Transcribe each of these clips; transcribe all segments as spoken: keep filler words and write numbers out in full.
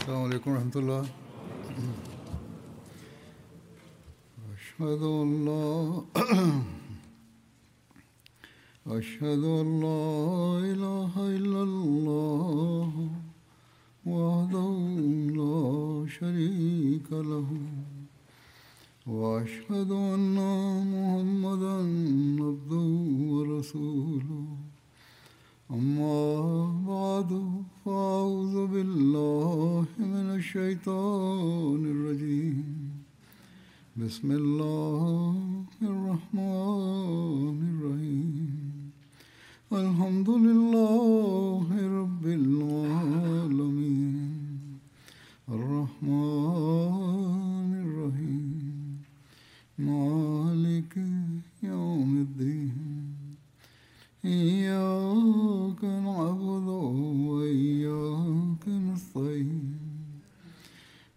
السلام علیکم ورحمۃ اللہ۔ اشہد ان لا اشہد ان لا الہ الا اللہ وحدہ لا شریک لہ واشہد ان محمدا عبدہ ورسولہ۔ اما بعد فاعوذ باللہ من الشیطان الرجیم، بسم اللہ الرحمن الرحیم۔ الحمد للہ رب العالمین، الرحمن الرحیم، مالک یوم الدین، إياك نعبد وإياك نستعين،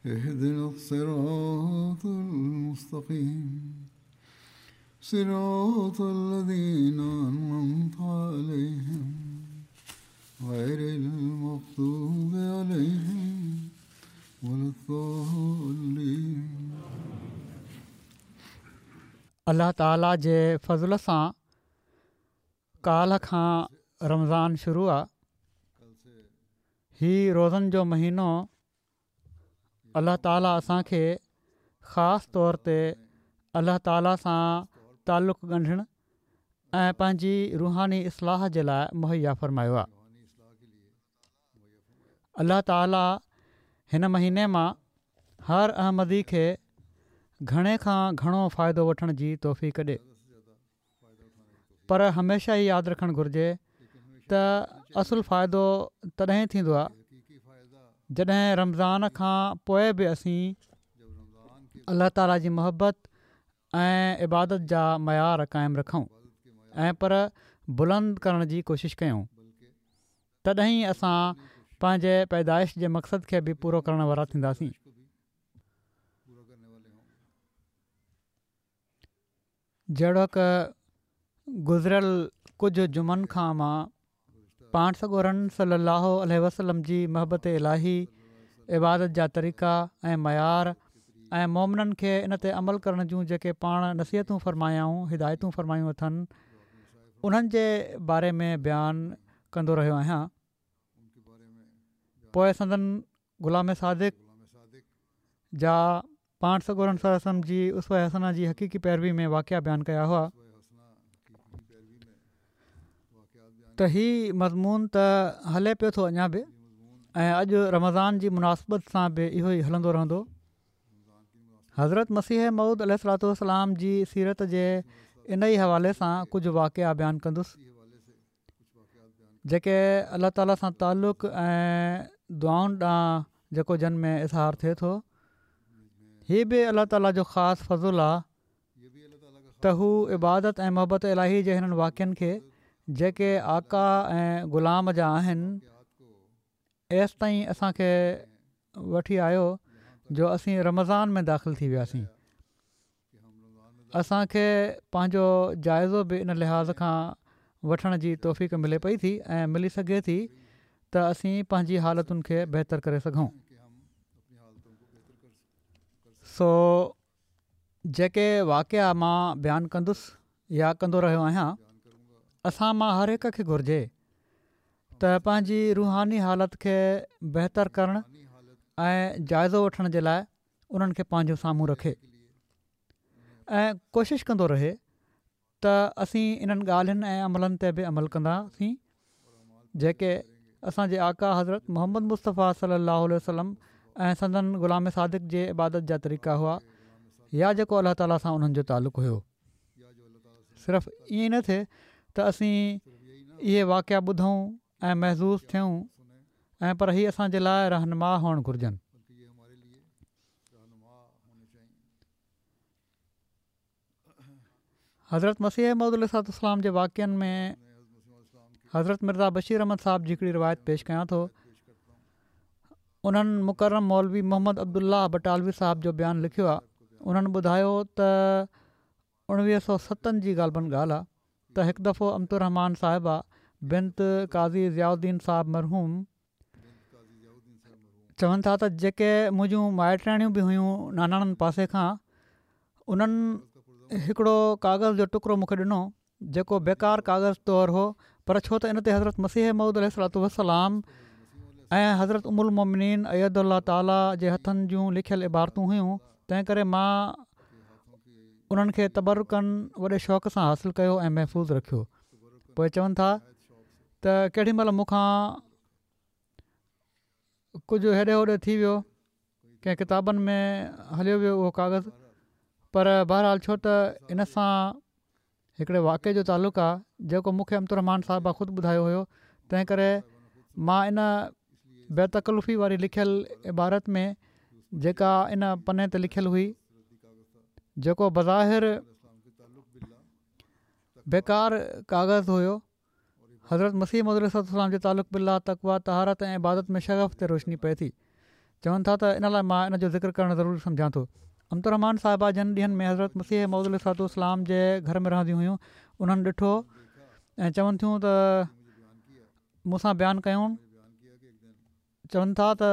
اهدنا الصراط المستقيم، صراط الذين أنعمت عليهم، غير المغضوب عليهم ولا الضالين۔ الله تعاليٰ جي فضل سان ڪالهه کان رمضان شروع آ۔ هي روزن جو مهينو الله تعاليٰ اسان کي خاص طور تي الله تعاليٰ سان تعلق ڳنڍڻ ۽ پنهنجي روحاني اصلاح جي لاءِ مهيا فرمايو آ۔ الله تعاليٰ هن مهيني مان هر احمدي کي گهڻي کان گهڻو فائدو وٺڻ جي توفيق ڏي، پر هميشه ئي ياد رکڻ گهرجي ته اصل فائدو تڏهن ٿيندو آهي جڏهن رمضان کان پوءِ به اسين الله تعاليٰ جي محبت ۽ عبادت جا معيار قائم رکون ۽ پر بلند ڪرڻ جي ڪوشش ڪيون، تڏهن ئي اسان پنهنجي پيدائش جي مقصد کي به پورو ڪرڻ وارا ٿينداسين۔ جهڙوڪ گذريل ڪجهه جمعن کان مان پاڻ سڳورن صلي الله عليه وسلم جي محبت الاهي، عبادت جا طريقا ۽ معيار ۽ مومنن کي ان تي عمل ڪرڻ جون جيڪي پاڻ نصيحتون فرمايائون، هدايتون فرمايون اٿن، انهن جي باري ۾ بيان ڪندو رهيو آهيان۔ پوءِ سندن غلام صادق جا پاڻ سڳورن صلي الله عليه وسلم جي اسوه حسنه جي حقيقي پيروي ۾ واقعا بيان ڪيا هئا۔ ته هي مضمون ته هلي پيو ٿو اڃا به، ۽ اڄ رمضان جي مناسبت سان به اهو ئي هلندو رهندو۔ حضرت مسيح موعود عليه الصلوة والسلام جي سيرت جي ان ئي حوالي سان ڪجهه واقعا بيان ڪندس، جيڪي الله تعاليٰ سان تعلق ۽ دعائن ڏانهن جيڪو جن ۾ اظهار ٿئي ٿو۔ هي به الله تعاليٰ جو خاص فضل آهي ته هو عبادت ۽ محبت الاهي جي هنن واقعن کي جيڪي آقا ۽ غلام جا آهن، ايستائين اسان کي وٺي آيو جو اسين رمضان ۾ داخل ٿي وياسين۔ اسان کي پنهنجو جائزو به ان لحاظ کان وٺڻ جي توفيق ملي پئي ٿي ۽ ملي سگهي ٿي ته اسين پنهنجي حالتن کي بهتر ڪري سگهون۔ سو جيڪي واقعا مان بيان ڪندس يا ڪندو رهيو آهيان، اسان مان هر هڪ کي گهرجي ته پنهنجي روحاني حالت کي بهتر ڪرڻ ۽ جائزو وٺڻ جي لاءِ انهن کي پنهنجو سامهون رکي ۽ ڪوشش ڪندو رهي ته اسين انهن ڳالهين ۽ عملن تي به عمل ڪنداسين جيڪي اسان جي آقا حضرت محمد مصطفيٰ صلي الله عليه وسلم ۽ سندن غلام صادق جي عبادت جا طريقا هئا، يا جيڪو الله تعاليٰ سان انهن جو تعلق هيو۔ صرف ائين نه ٿئي ته اسين اهي واقعا ٻڌون ۽ محظوظ ٿيون، ۽ پر هي اسان جي لاءِ رهنما هئڻ گهرجن۔ حضرت مسيح موعود عليه الصلوة والسلام جي واقعن ۾ حضرت مرزا بشير احمد صاحب جي هڪڙي روايت پيش ڪيان ٿو۔ انهن مڪرم مولوي محمد عبدالله بٽالوي صاحب جو بيان لکيو آهي۔ انهن ٻڌايو ته اڻويهه سؤ ستن جي غالباً ڳالهه آهي ته هڪ دفعو امت الرحمان صاحبه بنت قاضي ضياء الدين صاحب مرحوم چون ٿا ته جيڪي منهنجون مائٽياڻيون به هيون ناناڻن پاسي کان، انهن هڪڙو ڪاغذ جو ٽڪرو مون کي ڏنو جيڪو بيڪار ڪاغذ طور هو، پر ڇو ته ان تي حضرت مسيح موعود عليه الصلوة والسلام ۽ حضرت ام المومنين ايدها الله تعاليٰ جي هٿن جون لکيل عبارتون هيون، تنهن ڪري مان انهن کي تبرڪاً وڏي شوق سان حاصل ڪيو ۽ محفوظ رکيو. پوء چون ٿا ته ڪيڏي مهل مون کان ڪجهه هيڏي هوڏي ٿي ويو، ڪنهن ڪتابن ۾ هليو ويو اهو ڪاغذ، پر بهرحال ڇو ته ان سان هڪڙي واقعي جو تعلق آ جيڪو مون کي امة الرحمان صاحبه خود ٻڌايو هيو، تنهن ڪري مان ان بي تڪلفي واري لکيل عبارت ۾ جيڪا ان پني تي لکيل هئي، جيڪو بظاهر بيڪار ڪاغذ هيو، حضرت مسيح موعود عليه الصلوة والسلام جي تعلق بالله، تقويٰ، طهارت ۽ عبادت ۾ شغف تي روشني پئي ٿي. چون ٿا ته ان لاء مان ان جو ذڪر ڪرڻ ضروري سمجهان ٿو. امة الرحمان صاحبه جن ڏينهن ۾ حضرت مسيح موعود عليه الصلوة والسلام جي گهر ۾ رهنديون هيون، انهن ڏٺو ۽ چون ٿيون ته مون سان بيان ڪيائون، چون ٿا ته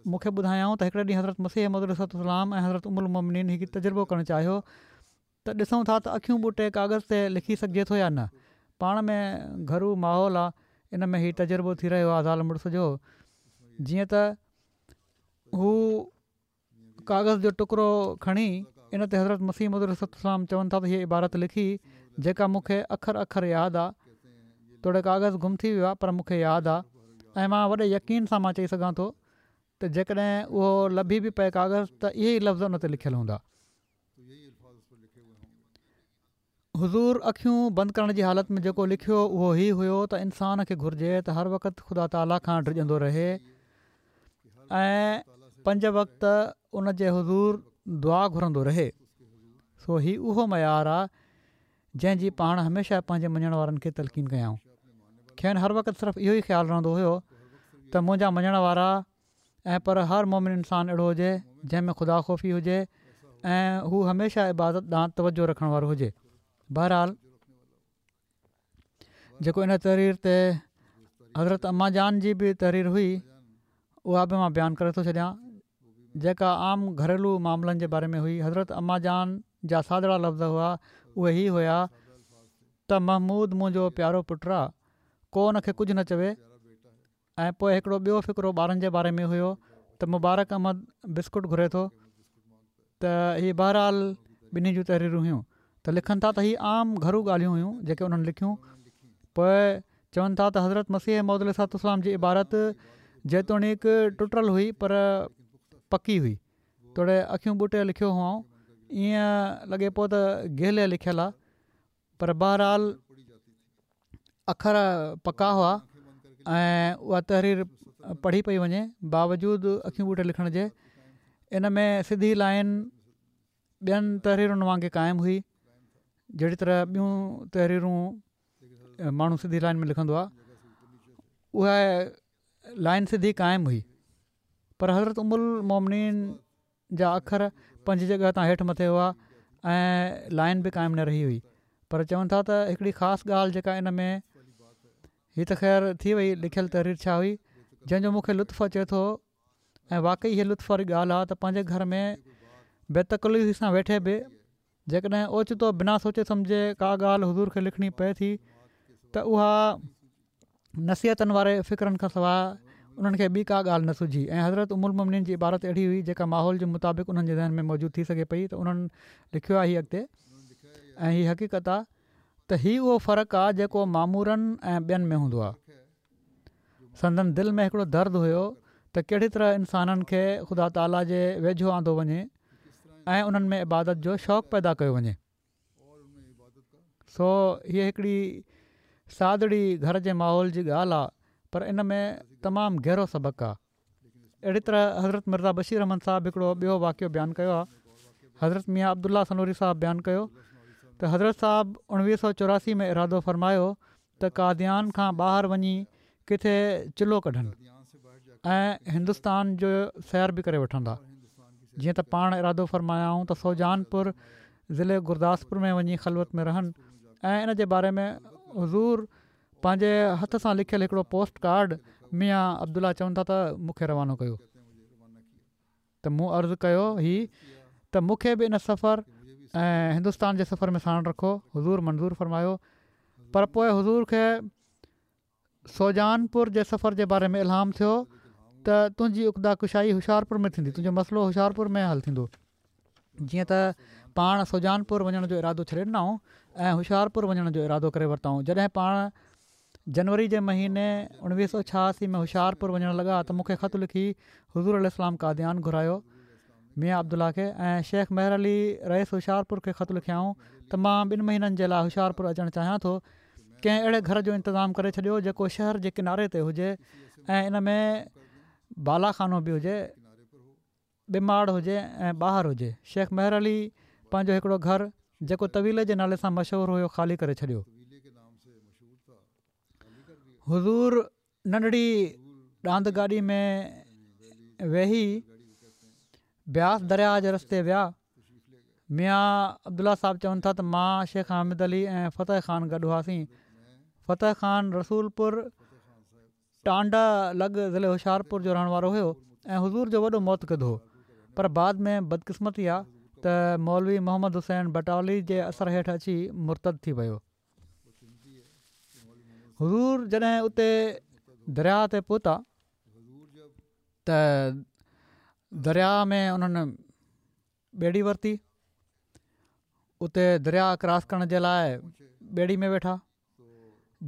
مون کي ٻڌايائون ته هڪڙي ڏينهن حضرت مسيح موعود عليه الصلوة والسلام ۽ حضرت ام المومنين هڪ تجربو ڪرڻ چاهيو ته ڏسون ٿا ته اکيون ٻوٽي ڪاغذ تي لکي سگهجي ٿو يا نه. پاڻ ۾ گهرو ماحول آ، ان ۾ هي تجربو ٿي رهيو آ زال مڙس جو. جيئن ته هو ڪاغذ جو ٽڪرو کڻي ان تي حضرت مسيح موعود عليه الصلوة والسلام چون ٿا ته هيء عبارت لکي جيڪا مون کي اکر اکر ياد آ، توڙي ڪاغذ گم ٿي ويو آ پر مون کي ياد آ ۽ مان وڏي يقين سان مان چئي سگهان ٿو ته جيڪڏهن اهو لڀي به پئي ڪاغذ ته اهي ئي لفظ ان تي لکيل هوندا. حضور اکيون بند ڪرڻ جي حالت ۾ جيڪو لکيو اهو هي هيو ته انسان کي گهرجي ته هر وقت خدا تعاليٰ کان ڊڄندو رهي ۽ پنج وقت ان جي حضور دعا گهرندو رهي. سو هي اهو معيار آ جنهن جي پاڻ هميشه پنهنجي مڃڻ وارن کي تلقين ڪيائون. کين هر وقت صرف اهو ئي خيال رهندو هيو ته منهنجا مڃڻ وارا ۽ پر هر مومن انسان اهڙو هجي جنهن ۾ خدا خوفي هجي ۽ هو هميشه عبادت ڏانهن توجه رکڻ وارو هجي. بهرحال جيڪو ان تحرير تي حضرت اما جان جي به تحرير هئي اها به مان بيان ڪري ٿو ڇڏيان جيڪا عام گهريلو معاملن جي باري ۾ هئي. حضرت اما جان جا سادڙا لفظ هئا اهي هي هيا ته محمود منهنجو پيارو پٽ آ ڪو ان کي ڪجهه نه چوي ۽ پوء هڪڙو ٻيو فقرو ٻارن جي باري ۾ هيو ته مبارڪ احمد بسڪٽ گهري ٿو ته هي بهرحال ٻنهي جون تحريرون هيون ته لکن ٿا ته هي عام گهرو ڳالهيون هيون جيڪي انهن لکيون پوء چون ٿا ته حضرت مسيح موعود عليه الصلوة والسلام جي عبارت جيتوڻيڪ ٽٽل هئي پر پڪي هئي توڙي اکيون ٻوٽي لکيو هئائون ائين لڳي پيو ته گهلي لکيل آهي پر بهرحال اکر پڪا هئا ۽ اها تحرير پڙهي پئي وڃي باوجود اکيون ٻوٽي لکڻ جي ان ۾ سڌي لائين ٻين تحريرن وانگي قائم هئي جهڙي طرح ٻيون تحريرون ماڻهو سڌي لائين ۾ لکندو آهي اها لائين سڌي قائم هئي پر حضرت ام المومنين جا اکر پنهنجي جڳهه تان هيٺ مٿي هئا ۽ لائين به قائم نه رهي هئي پر چون ٿا ته هڪڙي خاص ڳالهه جيڪا ان ۾ هي ته خير ٿي وئي لکيل تحرير ڇا هئي جنهن جو مون کي لطف اچي ٿو ۽ واقعي هي لطف واري ڳالهه آ ته پنهنجي گهر ۾ بي تڪلفي سان ويٺي به جيڪڏهن اوچتو بنا سوچي سمجهي ڪا ڳالهه حضور کي لکڻي پئي ٿي ته اها نصيحتن واري فقرن کان سواء انهن کي ٻي ڪا ڳالهه نه سجهي ۽ حضرت ام المومنين جي عبارت اهڙي هئي جيڪا ماحول جي مطابق انهن جي ذهن ۾ موجود ٿي سگهي پئي ته انهن لکيو آهي هي اڳتي ۽ هي حقيقت آ ته هي اهو فرق آ جيڪو مامورن ۽ ٻين ۾ هوندو آ. سندن دل ۾ هڪڙو درد هيو ته ڪهڙي طرح انسانن کي خدا تعاليٰ جي ويجهو آندو وڃي ۽ انهن ۾ عبادت جو شوق پيدا ڪيو وڃي. سو هيء هڪڙي سادڙي گهر جي ماحول جي ڳالهه آ پر ان ۾ تمام گهرو سبق آ. اهڙي طرح حضرت مرزا بشير احمد صاحب هڪڙو ٻيو واقعو بيان ڪيو آ. حضرت ميان عبدالله سنوري صاحب بيان ڪيو ته حضرت صاحب اڻويهه سؤ چوراسي ۾ ارادو فرمايو ته قاديان کان ٻاهر وڃي ڪٿي چلو ڪڍن ۽ هندستان جو سير به ڪري وٺندا. جيئن ته پاڻ ارادو فرمايائون ته سوجانپور ضلعي گرداسپور ۾ وڃي خلوت ۾ رهن ۽ ان جي باري ۾ حضور پنهنجي هٿ سان لکيل هڪڙو پوسٽ ڪارڊ ميان عبدالله چون ٿا ته مون کي روانو ڪيو. ته مون عرض ڪيو هي ته مون کي به ان سفر ۽ هندستان جي سفر ۾ ساڻ رکو. حضور منظور فرمايو. پر پوء حضور کي سوجانپور جي سفر جي باري ۾ الهام ٿيو ته تنهنجي عقده ڪشائي هوشيارپور ۾ ٿيندي، تنهنجو مسئلو هوشيارپور ۾ حل ٿيندو. جيئن ته پاڻ سوجانپور وڃڻ جو ارادو ڇڏي ڏنائون ۽ هوشيارپور وڃڻ جو ارادو ڪري ورتائون. جڏهن پاڻ جنوري جي مهيني اڻويهه سؤ ڇهاسي ۾ هوشيارپور وڃڻ لڳا ته مون کي خط لکي حضور عليه السلام قاديان گهرايو ميان عبدالله کي ۽ شيخ مهر علي رئيس هوشيارپور کي خط لکيائون ته مان ٻن مهينن جي لاء هوشيارپور اچڻ چاهيان ٿو، ڪنهن اهڙي گهر جو انتظام ڪري ڇڏيو جيڪو شهر جي ڪناري تي هجي ۽ ان ۾ بالا خانو به هجي، ٻه ماڙ هجي ۽ ٻاهر هجي. شيخ مهر علي پنهنجو هڪڙو گهر جيڪو طويلي جي نالي سان مشهور هيو خالي ڪري ڇڏيو. حضور ننڍڙي ڏاند گاڏي ۾ ويهي بياس درياهه جي رستي ويا. ميان عبدالله صاحب چون ٿا ته مان، شيخ حامد علي ۽ فتح خان گڏ هئاسين. فتح خان رسولپور ٽانڊا لڳ ضلعي هوشيارپور جو رهڻ وارو هيو ۽ حضور جو وڏو معتقد هو پر بعد ۾ بدقسمتي آ ته مولوي محمد حسين بٽالوي جي اثر هيٺ اچي مرتد ٿي ويو. حضور جڏهن اتي درياهه تي پهتا ته درياهه ۾ انهن ٻيڙي ورتي، اتي درياهه ڪراس ڪرڻ جي لاء ٻيڙي ۾ ويٺا.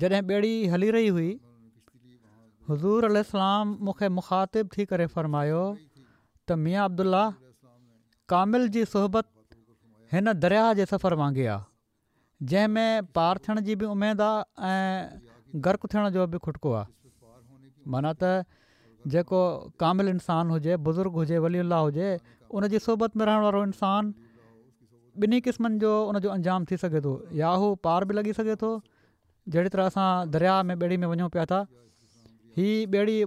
جڏهن ٻيڙي هلي رهي هئي حضور عليه السلام مون کي مخاطب ٿي ڪري فرمايو ته ميان عبدالله ڪامل جي صحبت هن درياهه جي سفر وانگي آ، جنهن ۾ پار ٿيڻ جي به اميد آ ۽ غرق ٿيڻ جو به کٽڪو آ. معنيٰ ته جيڪو ڪامل انسان هجي، بزرگ هجي، ولي الله هجي، ان جي صحبت ۾ رهڻ وارو انسان ٻنهي قسمن جو ان جو انجام ٿي سگهي ٿو، يا هو پار به لڳي سگهي ٿو، جهڙي طرح اسان درياهه ۾ ٻيڙي ۾ وڃون پيا ٿا، هي ٻيڙي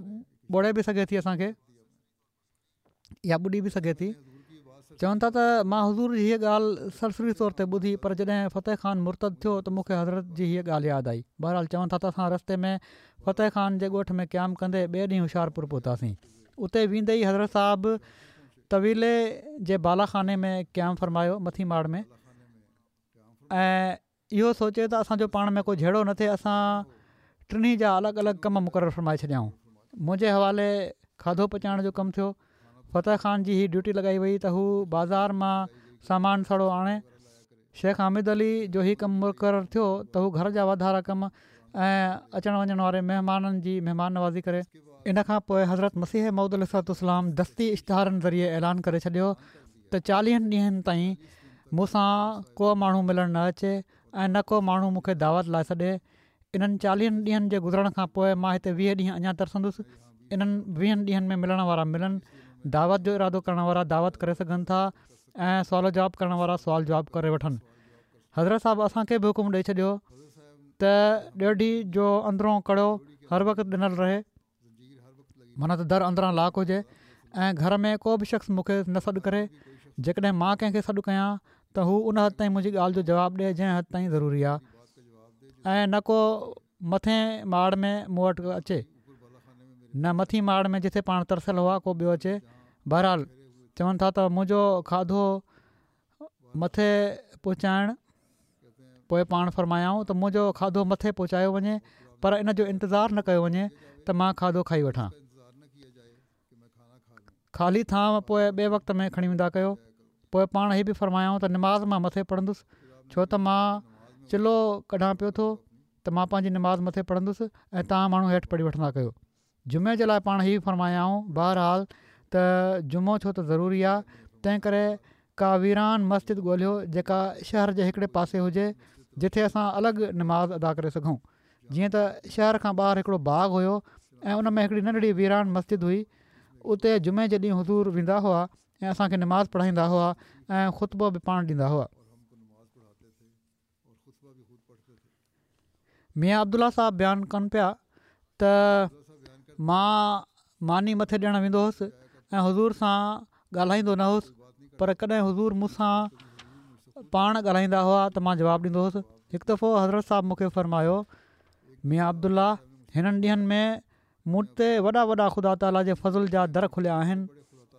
ٻوڙي به سگهي ٿي اسان کي يا ٻڏي به سگهي ٿي. چون ٿا ته مان حضور جي هيء ڳالهه سرسري طور تي ٻڌي پر جڏهن فتح خان مرتد ٿيو ته مون کي حضرت جي هيء ڳالهه ياد آئي. بهرحال چون ٿا ته اسان رستي ۾ فتح خان جي ڳوٺ ۾ قيام ڪندي ٻئي ڏينهن هوشيارپور پهتاسين. اتي ويندي ئي حضرت صاحب طويلي جي بالا خاني ۾ قيام فرمايو مٿي ماڙ ۾ ۽ اهو سوچي ته اسان جو پاڻ ۾ ڪو جهيڙو نه ٿئي اسان ٽنهي جا الڳ الڳ ڪم مقرر فرمائي ڇڏيائون. منهنجي حوالي کاڌو پچائڻ جو ڪم ٿيو. فتح خان جي هي ڊيوٽي لڳائي وئي ته هو بازار مان سامان سڙو آڻي. شيخ حامد علي جو هي ڪم مقرر ٿيو ته هو گهر جا واڌارا ڪم ۽ اچڻ وڃڻ واري مهمانن جي مهمان نوازي ڪري. ان کان پوء حضرت مسيح موعود عليه الصلوة والسلام دستي اشتهارن ذريعي اعلان ڪري ڇڏيو ته چاليهن ڏينهن تائين مون سان ڪو ماڻهو ملڻ نه اچي ۽ نه ڪو ماڻهو مون کي دعوت لاء سڏي. انهن چاليهن ڏينهن جي گذرڻ کان پوء مان هتي ويهه ڏينهن اڃا ترسندس. انهن ويهن ڏينهن ۾ ملڻ وارا ملن، دعوت جو ارادو ڪرڻ وارا دعوت ڪري سگهن ٿا ۽ سوال و جواب ڪرڻ وارا سوال جواب ڪري وٺن. حضرت صاحب اسان کي به حڪم ڏئي ڇڏيو ته ڏيڍي جو اندرون ڪڙو هر وقت ڏنل رهي، معنيٰ ته در اندران لاڪ هجي ۽ گهر ۾ ڪو به شخص مون کي نه سڏ ڪري. جيڪڏهن مان ڪنهن کي سڏ ڪيان ته هو ان حد تائين منهنجي ڳالهه جو جواب ڏئي جنهن حد تائين ضروري آهي ۽ نه ڪو مٿين ماڙ ۾ مون وٽ اچي نه مٿين ماڙ ۾ جتي پاڻ ترسيل هئا ڪو ٻيو اچي. بهرحال چون ٿا ته منهنجو کاڌو مٿي پهچائڻ پوء پاڻ فرمايائون ته منهنجو کاڌو مٿي پهچايو وڃي پر ان جو انتظار نه ڪيو وڃي ته مان کاڌو کائي وٺان. خالي ٿانو پوء ٻئي وقت ۾ کڻي ويندا ڪيو. پوء پاڻ هي به فرمايائون ته نماز مان مٿي پڙهندس ڇو ته مان چلو ڪڍان پيو ٿو ته مان پنهنجي نماز مٿي پڙهندس ۽ توهان ماڻهو هيٺ پڙهي وٺندا ڪيو. جمعي جي لاء پاڻ هي به فرمايائون بهرحال ته جمعو ڇو ته ضروري آ تنهن ڪري ڪا ويران مسجد ڳولهيو جيڪا شهر جي هڪڙي پاسي هجي جتي اسان الڳ نماز ادا ڪري سگهون. جيئن ته شهر کان ٻاهر هڪڙو باغ هيو ۽ ان ۾ هڪڙي ننڍڙي ويران مسجد هئي اتي جمعي جي ڏينهن حضور ويندا هئا ۽ اسان کي نماز پڙهائيندا هئا ۽ خطبو به پاڻ ڏيندا هئا. ميان عبدالله صاحب بيان ڪن پيا ته مان ماني مٿي ڏيڻ ويندو هوس ۽ حضور سان ڳالهائيندو نه هوس پر ڪڏهن حضور مون سان پاڻ ڳالهائيندا هئا ته مان جواب ڏيندو هوس. هڪ دفعو حضرت صاحب مون کي فرمايو ميان عبدالله هنن ڏينهن ۾ مون تي وڏا وڏا خدا تعاليٰ جي فضل جا در کليا آهن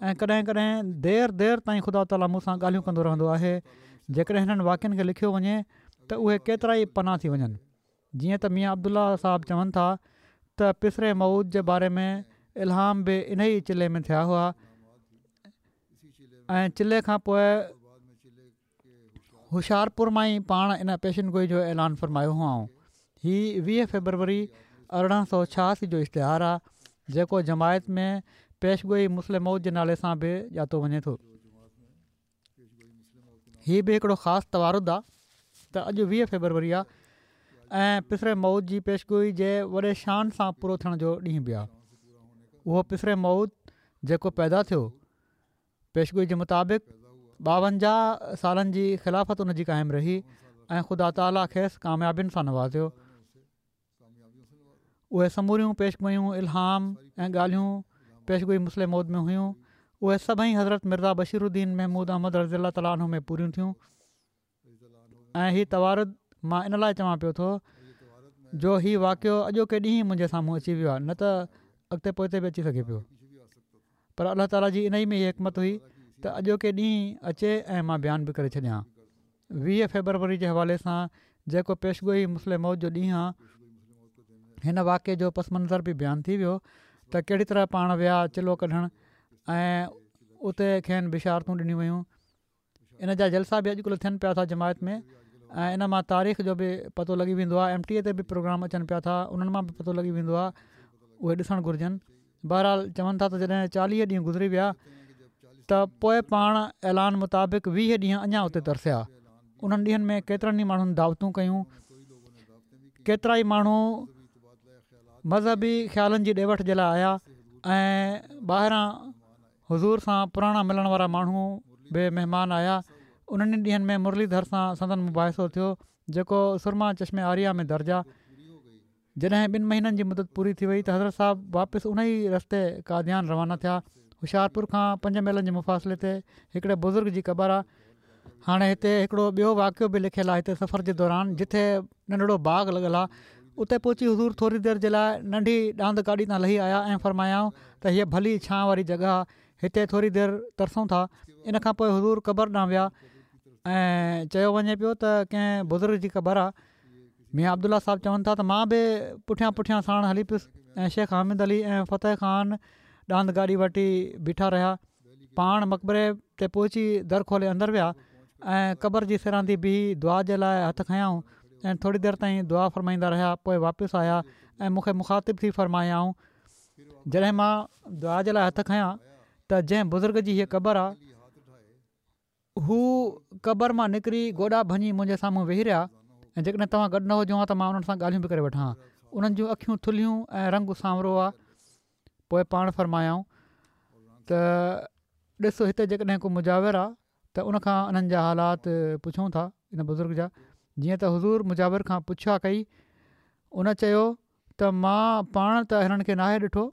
۽ ڪڏهن ڪڏهن دير دير تائين خدا تعاليٰ مون سان ڳالهيون ڪندو رهندو آهي. جيڪڏهن هنن واقعن کي لکيو وڃي ته اهي ڪيترائي پنا ٿي وڃن. جيئن ته ميان عبدالله صاحب چون ٿا ته پسر موعود جي باري ۾ الهام به انهي چلي ۾ ٿيا هئا ۽ چلي کان پوء هوشيارپور مان ئي پاڻ ان پيشن گوئي جو اعلان فرمايو هئائون. هي ويهه فيبروري ارڙهن سؤ ڇهاسي جو اشتهار آ جيڪو جماعت ۾ پيشگوئي مصلح موعود جي نالي سان به ڄاتو وڃي ٿو. هي به هڪڙو خاص توارد آ ته اڄ ويهه فيبروري آ ۽ پسر موعود جي پيشگوئي جي وڏي شان سان پورو ٿيڻ جو ڏينهن به آ. اهو پسر موعود جيڪو پيدا ٿيو پيشگوئي جي مطابق ٻاونجاهه سالن جي خلافت ان جي قائم رهي ۽ خدا تعاليٰ کيس ڪاميابين سان نوازيو. اهي سموريون پيشگوئيون، الهام ۽ ڳالهيون پيشگوئي مصلح موعود ۾ هيون. اهي سڀئي حضرت مرزا بشير الدين محمود احمد رضي الله تعاليٰ عنه ۾ پوريون ٿيون ۽ هي توارد مان ان لاء چوان پيو ٿو جو هي واقعو اڄوڪي ڏينهن منهنجي سامهون اچي ويو آهي نه ته اڳتي پوئتي به اچي سگهي پيو پر الله تعاليٰ جي انهي ۾ ئي حڪمت هئي ته اڄوڪي ڏينهن اچي ۽ مان بيان به ڪري ڇڏيان. ويهه فيبروري جي حوالي سان جيڪو پيشگوئي مصلح موعود جو ڏينهن آ هن واقعي جو پس منظر به بيان ٿي ويو ته ڪهڙي طرح پاڻ ويا چلو ڪڍڻ ۽ اتي کين بشارتون ڏنيون ويون. ان جا جلسا به اڄڪلهه ٿين پيا ٿا جماعت ۾ ۽ ان مان تاريخ جو به پتو لڳي ويندو آهي. ايم ٽي اي تي به پروگرام اچن پيا ٿا انهن مان به پتو لڳي ويندو آهي اهي ڏسڻ گهرجن. بهرحال چون ٿا ته جڏهن چاليهه ڏينهن گذري ويا ته پوء پاڻ اعلان مطابق ويهه ڏينهن اڃا اتي ترسيا. انهن ڏينهن ۾ ڪيترن ئي ماڻهن دعوتون ڪيون. ڪيترائي ماڻهو مذهبي خيالن جي ڏي وٺ جي لاء آيا ۽ ٻاهران حضور سان پراڻا ملڻ وارا ماڻهو به مهمان آيا. انهن ئي ڏينهن ۾ مرلي ڌر سان سندن مباحثو ٿيو جيڪو سرما چشم آريا ۾ درج آ. جڏهن ٻن مهينن جي مدت پوري ٿي وئي ته حضرت صاحب واپس ان ئي رستي قاديان روانا ٿيا. هوشيارپور کان پنج ميلن جي مفاصلي تي هڪڙي بزرگ جي قبر آ. هاڻي هتي هڪڙو ٻيو واقعو به لکيل آ هتي سفر جي دوران جتي ننڍڙو باغ لڳل آ اتي پهچي حضور ٿوري دير جي لاء ننڍي ڏاند گاڏي تان لهي آيا ۽ فرمايائون ته هيء ڀلي ڇانء واري جڳهه آ هتي ٿوري دير ترسون ٿا. ان کان پوء حضور قبر ڏانهن ويا ۽ چيو وڃي پيو ته ڪنهن بزرگ جي قبر آ. ميان عبدالله صاحب چون ٿا ته مان به پٺيان پٺيان ساڻ هلي پيس ۽ شيخ حامد علي ۽ فتح خان ڏاند گاڏي وٽ ئي بيٺا رهيا. پاڻ مقبري تي پهچي در کولي اندر ويا ۽ قبر جي سيراندي بيهي دعا جي لاء هٿ کنيائون ۽ ٿوري دير تائين دعا فرمائيندا رهيا پوء واپس آيا ۽ مون کي مخاطب ٿي فرمايائون جڏهن مان دعا جي لاء هٿ کنيا ته جنهن بزرگ جي هيء قبر آ هو قبر مان نڪري گوڏا ڀڃي منهنجي سامهون ويهي رهيا ۽ جيڪڏهن توهان گڏ نه هجو ها ته مان انهن سان ڳالهيون به ڪري وٺان ها. انهن جون اکيون ٿلهيون ۽ رنگ سانورو آ. پوء پاڻ فرمايائون ته ڏس هتي جيڪڏهن ڪو مجاور آ ته ان کان انهن جا حالات پڇون ٿا ان بزرگ جا جيئن ته حضور مجاور کان پڇا ڪئي ان چيو ته مان پاڻ ته هنن کي ناهي ڏٺو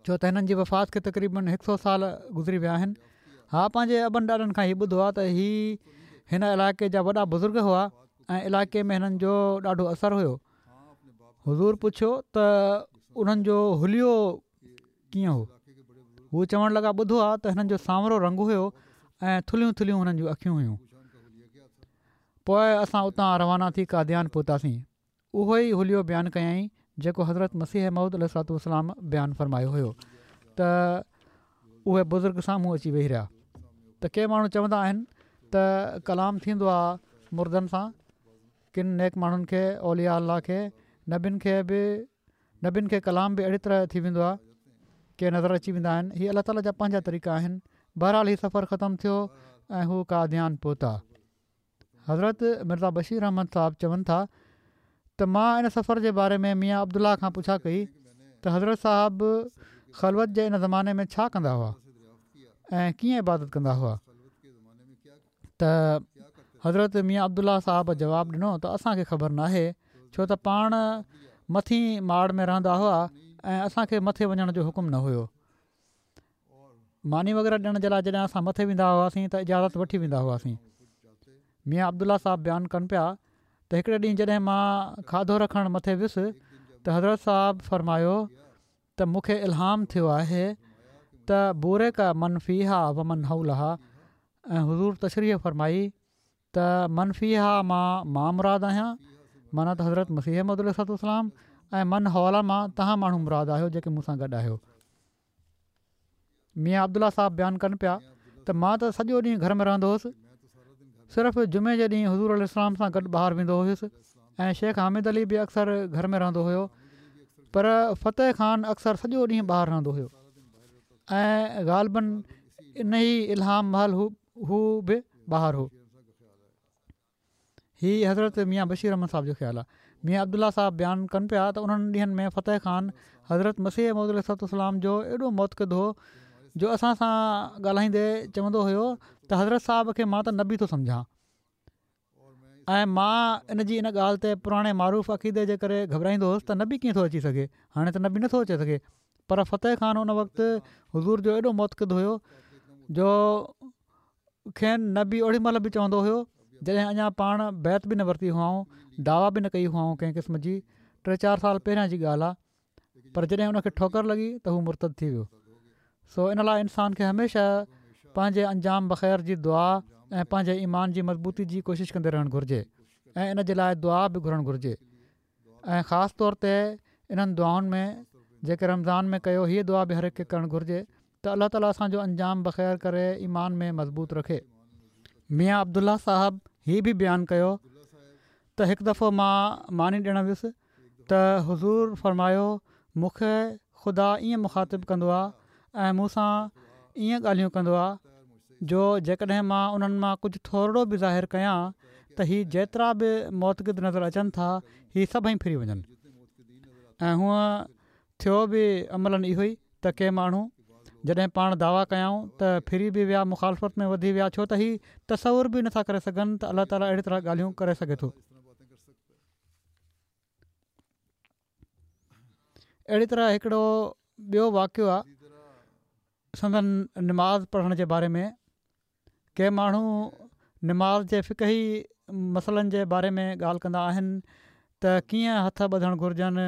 ڇو ته هنن جي وفات کي تقريبن هڪ سو سال گذري ويا آهن. ها پنهنجي ابن ڏاڏن کان هي ٻڌو آهي ته هي هن علائقي جا وڏا بزرگ هئا ۽ علائقي ۾ هنن جو ڏاڍو اثر هيو. حضور پڇيو ته انهن جو حليو ڪيئن هو؟ هو چوڻ لڳا ٻڌو آهي ته هنن جو سانورو رنگ هيو ۽ ٿلهيون ٿلهيون هنن جون اکيون هيون. پوء اسان اتان روانا ٿي قاديان پهتاسين. اهو ئي حليو بيان ڪيائين جيڪو حضرت مسيح موعود عليه الصلوة والسلام بيان فرمايو هيو ته اهي بزرگ سامهون اچي ويهي رهيا ته ڪي ماڻهو چوندا آهن ته ڪلام ٿيندو آهي مردن سان ڪن نيڪ ماڻهن کي اولياء الله کي نبين کي به نبين کي ڪلام به اهڙي طرح ٿي ويندو آهي ڪي نظر اچي ويندا آهن هي الله تعالي جا پنهنجا طريقا آهن بهرحال هي سفر ختم ٿيو ۽ هو قاديان پهتا. حضرت مرزا بشير احمد صاحب چون ٿا ته مان ان سفر جي باري ۾ ميان عبدالله کان پڇا ڪئي ته حضرت صاحب خلوت جي ان زماني ۾ ڇا ڪندا هئا ۽ ڪيئن عبادت ڪندا هئا ته حضرت ميان عبدالله صاحب جواب ڏنو ته اسان کي خبر ناهي ڇو ته پاڻ مٿين ماڙ ۾ رهندا هئا ۽ اسان کي مٿي وڃڻ جو حڪم نه هيو. ماني وغيره ڏيڻ جي لاء جڏهن اسان مٿي ويندا هئاسين ته اجازت وٺي ويندا هئاسين. ميان عبدالله صاحب بيان ڪن پيا ته هڪڙي ڏينهن جڏهن مان کاڌو رکڻ مٿي ويس ته حضرت صاحب فرمايو ته مون کي الهام ٿيو آهي ته بورڪ من فيها ومن حولها، ۽ حضور تشريح فرمائي ته من فيها مان مان مراد آهيان، معنيٰ ته حضرت مسيح موعود عليه الصلوة والسلام، ۽ من حولها مان توهان ماڻهو مراد آهيو جيڪي مون سان گڏ آهيو. ميان عبدالله صاحب بيان ڪن پيا ته مان ته سڄو ڏينهن گهر ۾ رهندو هوس، صرف جمعي جي ڏينهن حضور عليه السلام سان گڏ ٻاهر ويندو هيس ۽ شيخ حامد علي به اڪثر گهر ۾ رهندو هيو، پر فتح خان اڪثر سڄو ڏينهن ٻاهر رهندو هيو ۽ غالباً انهي الهام مهل هو به ٻاهر هو. هي حضرت ميان بشير احمد صاحب جو خيال آهي. ميان عبدالله صاحب بيان ڪن پيا ته انهن ڏينهن ۾ فتح خان حضرت مسيح موعود عليه الصلوة والسلام جو ايڏو معتقد هو جو اسان سان ڳالهائيندي چوندو هيو ته حضرت صاحب کي مان ته نبي ٿو سمجهان ۽ مان ان جي ان ڳالهه تي پراڻي معروف عقيدي جي ڪري گهٻرائيندو هوس ته نبي ڪيئن ٿو اچي سگهي، هاڻي ته نبي نٿو اچي سگهي. پر فتح خان ان وقت حضور جو ايڏو معتقد هيو جو کين نبي اوڏي مهل به چوندو هيو جڏهن اڃا پاڻ بيعت به نه ورتي هئائون، دعويٰ به نه ڪئي هئائون ڪنهن قسم جي، ٽي چار سال پهريان جي ڳالهه آهي، پر جڏهن ان کي ٺوڪر لڳي ته هو مرتد ٿي ويو. سو ان لاء انسان کي هميشه پنهنجي انجام بخير جي دعا ۽ پنهنجي ايمان جي مضبوطي جي ڪوشش ڪندي رهڻ گهرجي ۽ ان جي لاء دعا به گهرڻ گهرجي ۽ خاص طور تي انهن دعائن ۾ جيڪي رمضان ۾ ڪيو هيء دعا به هر هڪ کي ڪرڻ گهرجي ته الله تعالي اسان جو انجام بخير ڪري ايمان ۾ مضبوط رکي. ميان عبدالله صاحب هي به بيان ڪيو ته هڪ دفعو مان ماني ڏيڻ ويس ته حضور فرمايو مون کي خدا ائين مخاطب ڪندو آ ۽ مون سان ائين ڳالهيون ڪندو آ جو جيڪڏهن مان انهن مان ڪجهه ٿورڙو به ظاهر ڪيان ته هي جيترا به معتقد نظر اچن ٿا هي سڀئي ڦري وڃن ۽ هونء ٿيو به عملاً اهو ئي ته ڪي ماڻهو جڏهن پاڻ دعويٰ ڪيائون ته ڦري به ويا مخالفت ۾ وڌي ويا ڇو ته هي تصور به نٿا ڪري سگهن ته الله تعاليٰ اهڙي طرح ڳالهيون ڪري سگهي ٿو. اهڙي طرح هڪڙو ٻيو واقعو آهي سندن نماز پڙهڻ جي باري ۾ ڪي ماڻهو نماز جي فقهي مسئلن جي باري ۾ ڳالهه ڪندا آهن ته ڪيئن هٿ ٻڌڻ گهرجن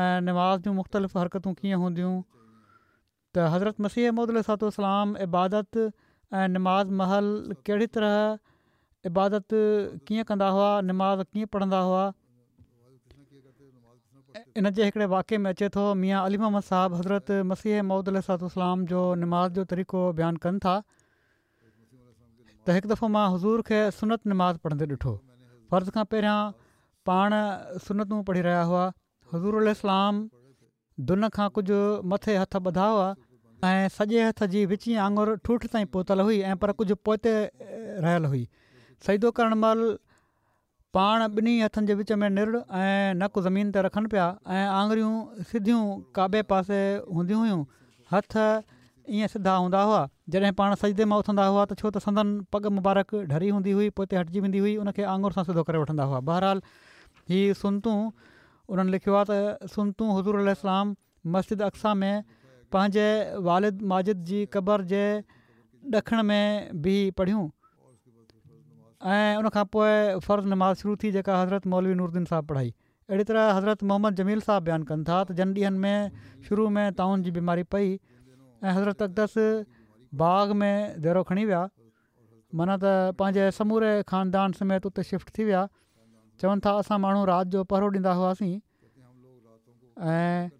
۽ نماز جون مختلف حرڪتون ڪيئن هونديون ته حضرت مسيح موعود عليه الصلوة والسلام عبادت ۽ نماز مهل ڪهڙي طرح عبادت ڪيئن ڪندا هئا نماز ڪيئن پڙهندا هئا. ان جي هڪڙي واقعي ۾ اچي ٿو ميان علي محمد صاحب حضرت مسيح موعود عليه الصلوة والسلام جو نماز جو طريقو بيان ڪن ٿا ته هڪ دفعو مان حضور کي سنت نماز پڙهندي ڏٺو. فرض کان پهريان پاڻ سنتون پڙهي رهيا هئا. حضور عليه السلام دن کان ڪجهه مٿي هٿ ٻڌا هئا ۽ سڄي هٿ جي وچين آڱر ٺوٺ تائين پهتل هئي ۽ پر ڪجهه پوئتي رهيل هئي. سجدو ڪرڻ مهل پاڻ ٻنهي هٿن جي وچ ۾ نرڙ ۽ نڪ زمين تي رکن پيا ۽ آڱريون سڌيون ڪعبي پاسي هونديون هيون، هٿ ائين سڌا هوندا هئا، جڏهن پاڻ سجدي مان اٿندا هئا ته ڇو ته سندن پڳ مبارڪ ڍري هوندي هئي پوئتي هٽجي ويندي هئي ان کي آڱر سان سڌو ڪري وٺندا هئا بهرحال هي سنتون انهن لکيو آهي ته سنتون حضور عليه السلام مسجد اقصيٰ ۾ پنهنجي والد ماجد جي قبر جي ڏکڻ ۾ بيهي پڙهيون. ۽ ان کان پوء فرض نماز شروع ٿي جيڪا حضرت مولوي نورالدين صاحب پڙهائي. اهڙي طرح حضرت محمد جميل صاحب بيان ڪن ٿا ته جن ڏينهن ۾ شروع ۾ طاعون جي بيماري پئي ۽ حضرت اقدس باغ ۾ ديرو کڻي ويا معنيٰ ته پنهنجي سموري خاندان سميت اتي شفٽ ٿي ويا چون ٿا اسان ماڻهو رات جو پهرو ڏيندا هئاسين ۽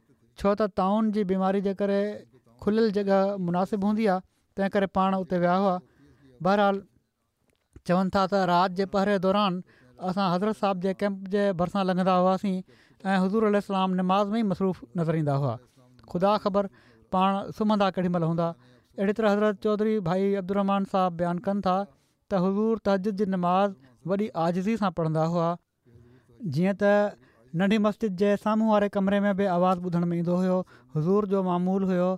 ڇو ته طاعون جي بيماري جي ڪري کليل جڳهه مناسب هوندي آهي تنهن ڪري پاڻ اتي ويا هئا بهرحال چون ٿا ته رات جي پهري دوران اسان حضرت صاحب جي ڪئمپ جي ڀرسان لنگهندا هئاسين ۽ حضور عليه السلام نماز ۾ ئي مصروف نظر ايندا هئا خدا خبر پاڻ سمهندا ڪيڏي مهل هوندا اهڙي طرح حضرت چوڌري ڀائي عبدالرحمان صاحب بيان ڪن ٿا ته حضور تهجد جي نماز وڏي عاجزي سان پڙهندا هئا جيئن ته ننڍي مسجد جي سامهون واري ڪمري ۾ به آواز ٻڌڻ ۾ ايندو هيو. حضور جو معمول هيو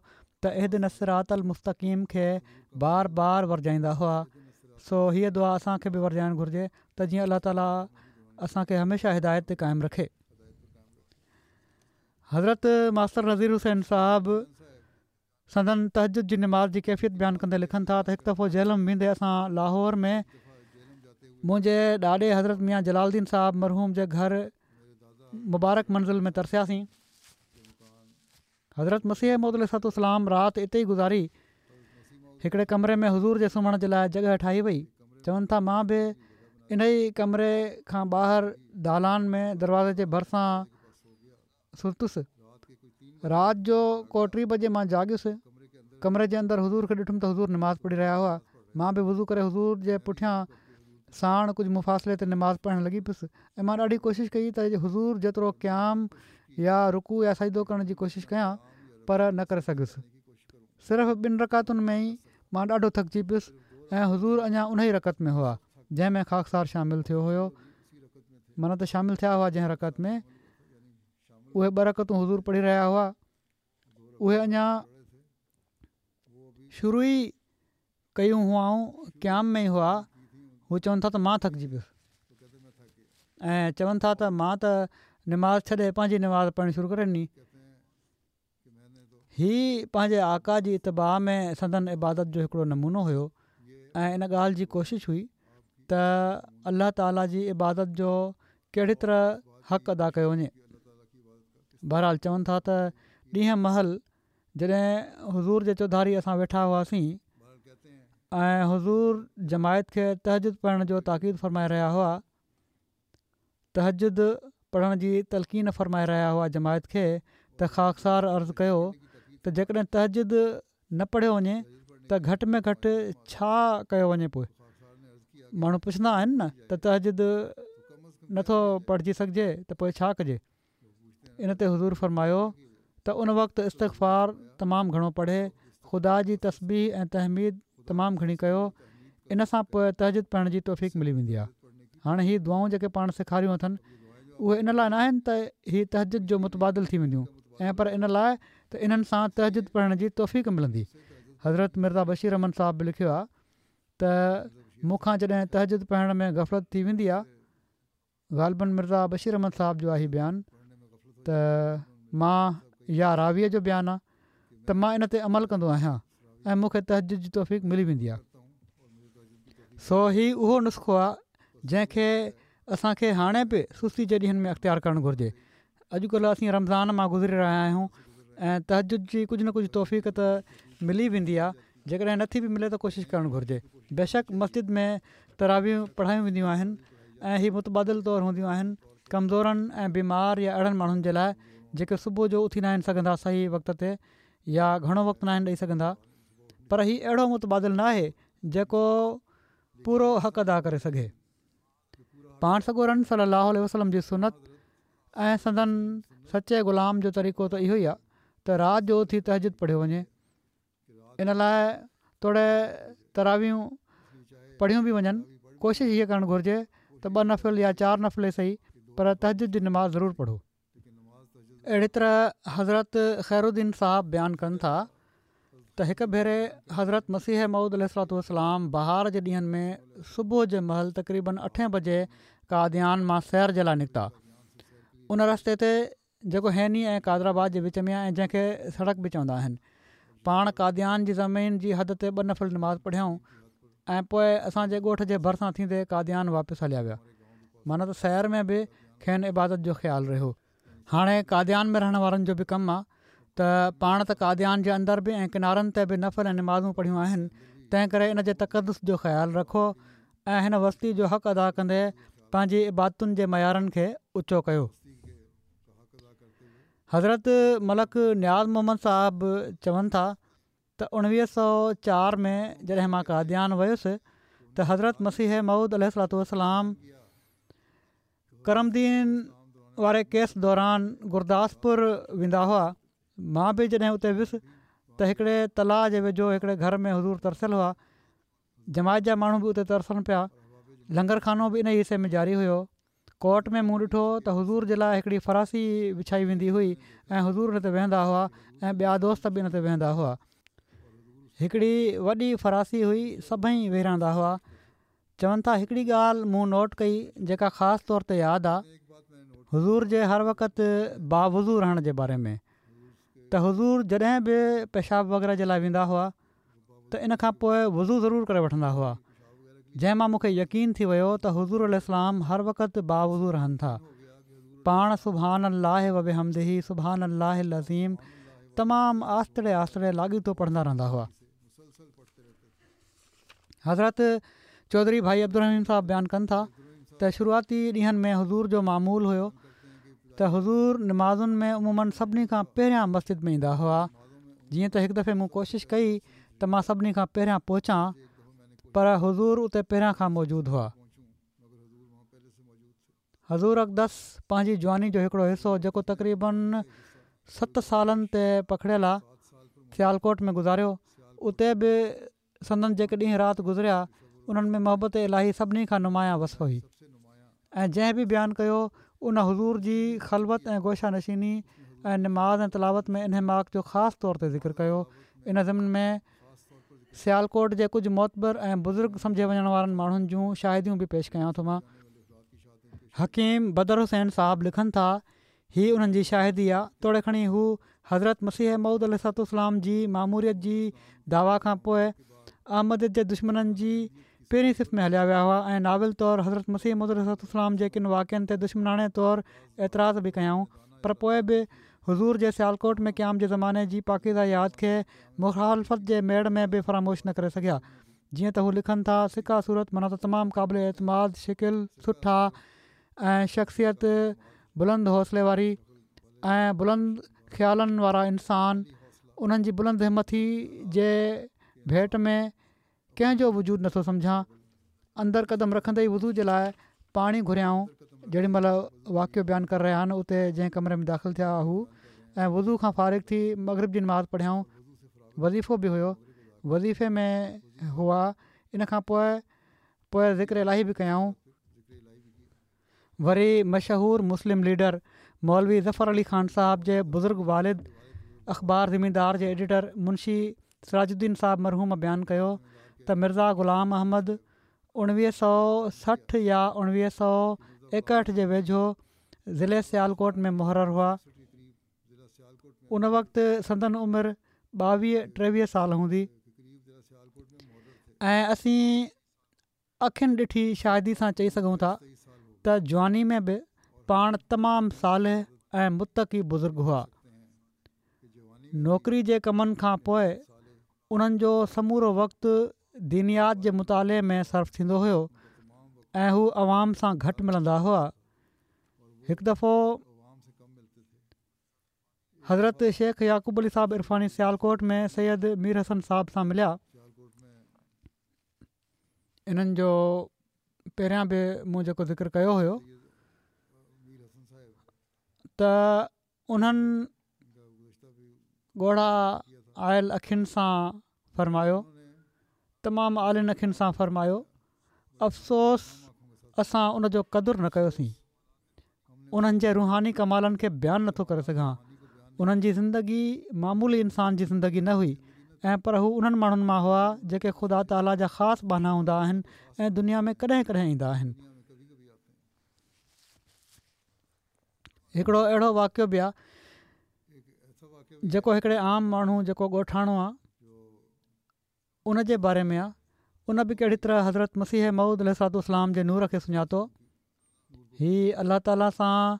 ته اهدنا الصراط المستقيم کي بار بار ورجائيندا هئا. سو هيء دعا اسان کي به ورجائڻ گهرجي ته جيئن الله تعالي اسان کي هميشه هدايت تي قائم رکي. حضرت ماستر نذير حسين صاحب سندن تهجد جي نماز جي ڪيفيت بيان ڪندي لکن ٿا ته هڪ دفعو جهلم ويندي اسان لاهور ۾ منهنجي ڏاڏي حضرت ميان جلال الدين صاحب مرحوم جي گهر مبارڪ منزل ۾ ترسياسين. حضرت مسيح موعود عليه الصلوة والسلام رات اتي ئي گذاري. هڪڙي ڪمري ۾ حضور جي سمهڻ جي لاء جڳهه ٺاهي وئي. چون ٿا مان به ان ئي ڪمري کان ٻاهر دالان ۾ دروازي جي ڀرسان ستس. رات جو ڪو ٽي بجي مان جاڳيس. ڪمري جي اندر حضور کي ڏٺم ته حضور نماز پڙهي رهيا هئا. مان به وضو ڪري حضور جي پٺيان ساڻ ڪجهه مفاصلي تي نماز پڙهڻ لڳي پيس ۽ مان ڏاڍي ڪوشش ڪئي ته حضور جيترو قيام يا رڪوع يا سجدو ڪرڻ جي ڪوشش ڪيان پر نه ڪري سگهيس. صرف ٻن رڪعتن ۾ ئي مان ڏاڍو ٿڪجي پيس ۽ حضور اڃا انهي رڪعت ۾ هئا جنهن ۾ خاڪسار شامل ٿيو هيو، معنيٰ ته شامل ٿيا هئا جنهن رڪعت ۾ اهي ٻه رڪعتون حضور پڙهي رهيا هئا اهي اڃا شروع ئي ڪيون هئائون، قيام ۾ ئي هئا. هو چون ٿا ته مان ٿڪجي پيس ۽ چون ٿا ته مان ته نماز ڇڏي پنهنجي نماز پڙهڻ شروع ڪري ڏني. هي پنهنجي آقا جي اتباع ۾ سندن عبادت جو هڪڙو نمونو هيو ۽ ان ڳالهه جي ڪوشش هئي ته الله تعالي جي عبادت جو ڪهڙي طرح حق ادا ڪيو وڃي. بهرحال چون ٿا ته ڏينهن مهل جڏهن حضور جي چوڌاري اسان ويٺا هئاسين ۽ حضور جماعت کي تهجد پڙهڻ جو تاڪيد فرمائي رهيا هئا، تهجد پڙهڻ جي تلقين فرمائي رهيا هئا جماعت کي ته خاڪسار عرض ڪيو ته جيڪڏهن تهجد نه پڙهيو وڃي ته گهٽ ۾ گهٽ ڇا ڪيو وڃي؟ پوء ماڻهو پڇندا آهن نه ته تهجد نٿو پڙهجي سگهجي ته پوء ڇا ڪجي؟ ان تي حضور فرمايو ته ان وقت استغفار تمام گهڻو پڙهي، خدا جي تسبيح ۽ تحميد تمام گهڻي ڪيو، ان سان پوء تهجد پڙهڻ جي توفيق ملي ويندي آهي. هاڻي هي دعائون جيڪي پاڻ سيکاريون اٿن اهي ان لاء ناهن ته هي تهجد جو متبادل ٿي وينديون ۽ پر ان لاء ته انهن سان تهجد پڙهڻ جي توفيق ملندي. حضرت مرزا بشير احمد صاحب به لکيو آهي ته مون کان جڏهن تهجد پڙهڻ ۾ غفلت ٿي ويندي آهي، غالباً مرزا بشير احمد صاحب جو آهي بيان ته مان يا راويء جو بيان آ ته مان ان تي عمل ڪندو آهيان ۽ مون کي تهجد جي توفيق ملي ويندي آ. سو هي اهو نسخو آ جنهن کي اسان کي هاڻي به سستي جي ڏينهن ۾ اختيار ڪرڻ گهرجي. اڄڪلهه اسين رمضان مان گذري رهيا آهيون ۽ تهجد جي ڪجهه نه ڪجهه توفيق ته ملي ويندي آ، جيڪڏهن نٿي به ملي ته ڪوشش ڪرڻ گهرجي. بيشڪ مسجد ۾ تراويحون پڙهايون وينديون آهن ۽ هي متبادل طور هونديون آهن ڪمزورن ۽ بيمار يا اهڙن ماڻهن جي لاء جيڪي صبح جو اٿي ناهن سگهندا صحيح وقت تي يا گهڻو وقت ناهن ڏئي سگهندا، پر هي اهڙو متبادل ناهي جيڪو پورو حق ادا ڪري سگهي. پاڻ سڳورن صلي الله عليه وسلم جي سنت ۽ سندن سچي غلام جو طريقو ته اهو ئي آهي ته رات جو اٿي تهجد پڙهيو وڃي. ان لاء توڙي تراويحون پڙهيون به وڃن، ڪوشش هيء ڪرڻ گهرجي ته ٻه نفل يا چار نفل ئي سهي پر تهجد جي نماز ضرور پڙهو. اهڙي طرح حضرت خير الدين صاحب بيان ڪن ٿا ته هڪ ڀيري حضرت مسيح موعود عليه الصلوة والسلام بهار جي ڏينهن ۾ صبح جي مهل تقريباً اٺين بجي قاديان مان سير جي لاء نڪتا. ان رستي تي جيڪو هيني ۽ قادر آباد جي وچ ۾ آهي ۽ جنهن کي سڙڪ به چوندا آهن. پاڻ قاديان جي زمين جي حد تي ٻه نفل نماز پڙهيائون ۽ پوء اسان جي ڳوٺ جي ڀرسان ٿيندي قاديان واپس هليا ويا. معنيٰ ته سير ۾ به کين عبادت جو خيال رهيو. هاڻي قاديان ۾ رهڻ وارن جو به ڪم آ ته پاڻ ته قاديان جي اندر به ۽ ڪنارن تي به نفل ۽ نمازون پڙهيون آهن، تنهن ڪري ان جي تقدس جو خيال رکو ۽ هن وستي جو حق ادا ڪندي پنهنجي عبادتن جي معيارن کي اوچو ڪيو. حضرت ملڪ نياز محمد صاحب چون ٿا ته اڻويهه سؤ چار ۾ جڏهن مان قاديان ويس ته حضرت مسيح موعود عليه الصلوة والسلام ڪرم دين واري ڪيس دوران گرداسپور ويندا هئا. مان به جڏهن اتي ويس ته هڪڙي تلاء جي ويجهو هڪڙي گهر ۾ حضور ترسيل هئا. جماعت جا ماڻهو به اتي ترسن پيا. لنگر خانو به انهي حصي ۾ جاري هيو. ڪورٽ ۾ مون ڏٺو ته حضور جي لاء هڪڙي فراسي وڇائي ويندي هئي ۽ حضور ان تي ويهندا هئا ۽ ٻيا دوست به ان تي ويهندا هئا. هڪڙي وڏي فراسي هئي سڀئي ويهي رهندا هئا. چون ٿا هڪڙي ڳالهه مون نوٽ ڪئي جيڪا خاص طور تي ياد آ حضور جي هر وقت باوضو رهڻ جي باري ۾ ته حضور جڏهن به پيشاب وغيره جي لاء ويندا هئا ته ان کان پوء وضو ضرور ڪري وٺندا هئا جنهن مان مون کي يقين ٿي ويو ته حضور عليه السلام هر وقت باوضو رهن ٿا. پاڻ سبحان الله وبحمده سبحان الله العظيم تمام آهستڙي آهستڙي لاڳيتو پڙهندا رهندا هئا. حضرت چوڌري ڀائي عبدالرحيم صاحب بيان ڪن ٿا ته شروعاتي ڏينهن ۾ حضور جو معمول هيو ته حضور نمازن ۾ عموماً سڀني کان پهريان مسجد ۾ ايندا هئا. جيئن ته هڪ دفعي مون ڪوشش ڪئي ته مان سڀني کان پهريان پهچان، پر حضور اتي پهريان کان موجود هئا. حضور اقدس پنهنجي جواني جو هڪڙو حصو جيڪو تقريبن ست سالن تي پکڙيل آ سيالڪوٽ ۾ گذاريو. اتي به سندن جيڪي ڏينهن رات گذريا انهن ۾ محبت الاهي سڀني کان نمايان وصف هئي ۽ جنهن به بيان ڪيو ان حضور جي خلوت ۽ گوشه نشيني ۽ نماز ۽ تلاوت ۾ انهماڪ جو خاص طور تي ذڪر ڪيو. ان ضمن ۾ سيالڪوٽ جي ڪجهه معتبر ۽ بزرگ سمجهي وڃڻ وارن ماڻهن جون شاهديون به پيش ڪيان ٿو. مان حڪيم بدر حسين صاحب لکن ٿا، هي انهن جي شاهدي آ، توڙي کڻي هو حضرت مسيح موعود عليه الصلوة والسلام جي ماموريت جي دعويٰ کان پوء احمديت جي دشمنن جي پهرين صف ۾ هليا ويا هئا ۽ ناول طور حضرت مسيح موعود عليه الصلوة والسلام جي ڪن واقعن تي دشمناڻي طور اعتراض به ڪيائون، پر پوء به حضور جي سيالڪوٽ ۾ قيام جي زماني جي پاڪيزه ياد کي مخالفت جي ميڙ ۾ به فراموش نه ڪري سگهيا. جيئن ته هو لکن ٿا، ثقه صورت معنيٰ ته تمام قابل اعتماد، شڪل سٺا ۽ شخصيت بلند حوصلي واري ۽ بلند خيالن وارا انسان، انهن جي بلند همٿي جي ڀيٽ ۾ ڪنهن جو وجود نٿو سمجهان. اندر قدم رکندي ئي وضو جي لاء پاڻي گهريائون. جيڏي مهل واقعو بيان ڪري رهيا آهن اتي جنهن ڪمري ۾ داخل ٿيا هو ۽ وضو کان فارغ ٿي مغرب جي نماز پڙهيائون. وظيفو به هيو، وظيفي ۾ هئا. ان کان پوء پوء ذڪر الاهي به ڪيائون. وري مشهور مسلم ليڊر مولوي ظفر علي خان صاحب جي بزرگ والد اخبار زميندار جي ايڊيٽر منشي سراج الدين صاحب مرحوم بيان ڪيو ته مرزا غلام احمد اڻويهه سؤ سٺ يا اڻويهه سؤ ايڪهٺ جي ويجهو ضلعي سيالڪوٽ ۾ محرر هئا. ان وقت سندن عمر ٻاويهه ٽيويهه سال هوندي ۽ اسين اکين ڏٺي شاهدي سان چئي سگهون ٿا ته جواني ۾ به پاڻ تمام صالح ۽ متقي بزرگ هئا. نوڪري جي ڪمن کان پوء انهن جو سمورو وقت دينيات جي مطالعي ۾ صرف ٿيندو هيو ۽ هو عوام سان گهٽ ملندا هئا. هڪ دفعو حضرت شيخ يعقوب علي صاحب عرفاني سيالڪوٽ ۾ سيد مير حسن صاحب سان مليا. انهن جو پهريان به مون جيڪو ذڪر ڪيو هيو ته انهن ڳوڙها آيل اکين سان فرمايو، تمام آلين اکين سان فرمايو، افسوس اسان ان جو قدر نه ڪيوسين. انهن جي روحاني ڪمالن کي بيان نٿو ڪري سگهان. انهن جي زندگي معمولي انسان جي زندگي نه هئي ۽ پر هو انهن ماڻهن مان هئا جيڪي خدا تعاليٰ جا خاص ٻانها هوندا آهن ۽ دنيا ۾ ڪڏهن ڪڏهن ايندا آهن. هڪڙو اهڙو واقعو به آهي جيڪو هڪڙي عام ماڻهو جيڪو ڳوٺاڻو آهي ان جي باري ۾ آهي. ان به ڪهڙي طرح حضرت مسيح موعود عليه الصلوة والسلام جي نور کي سڃاتو. هي الله تعاليٰ سان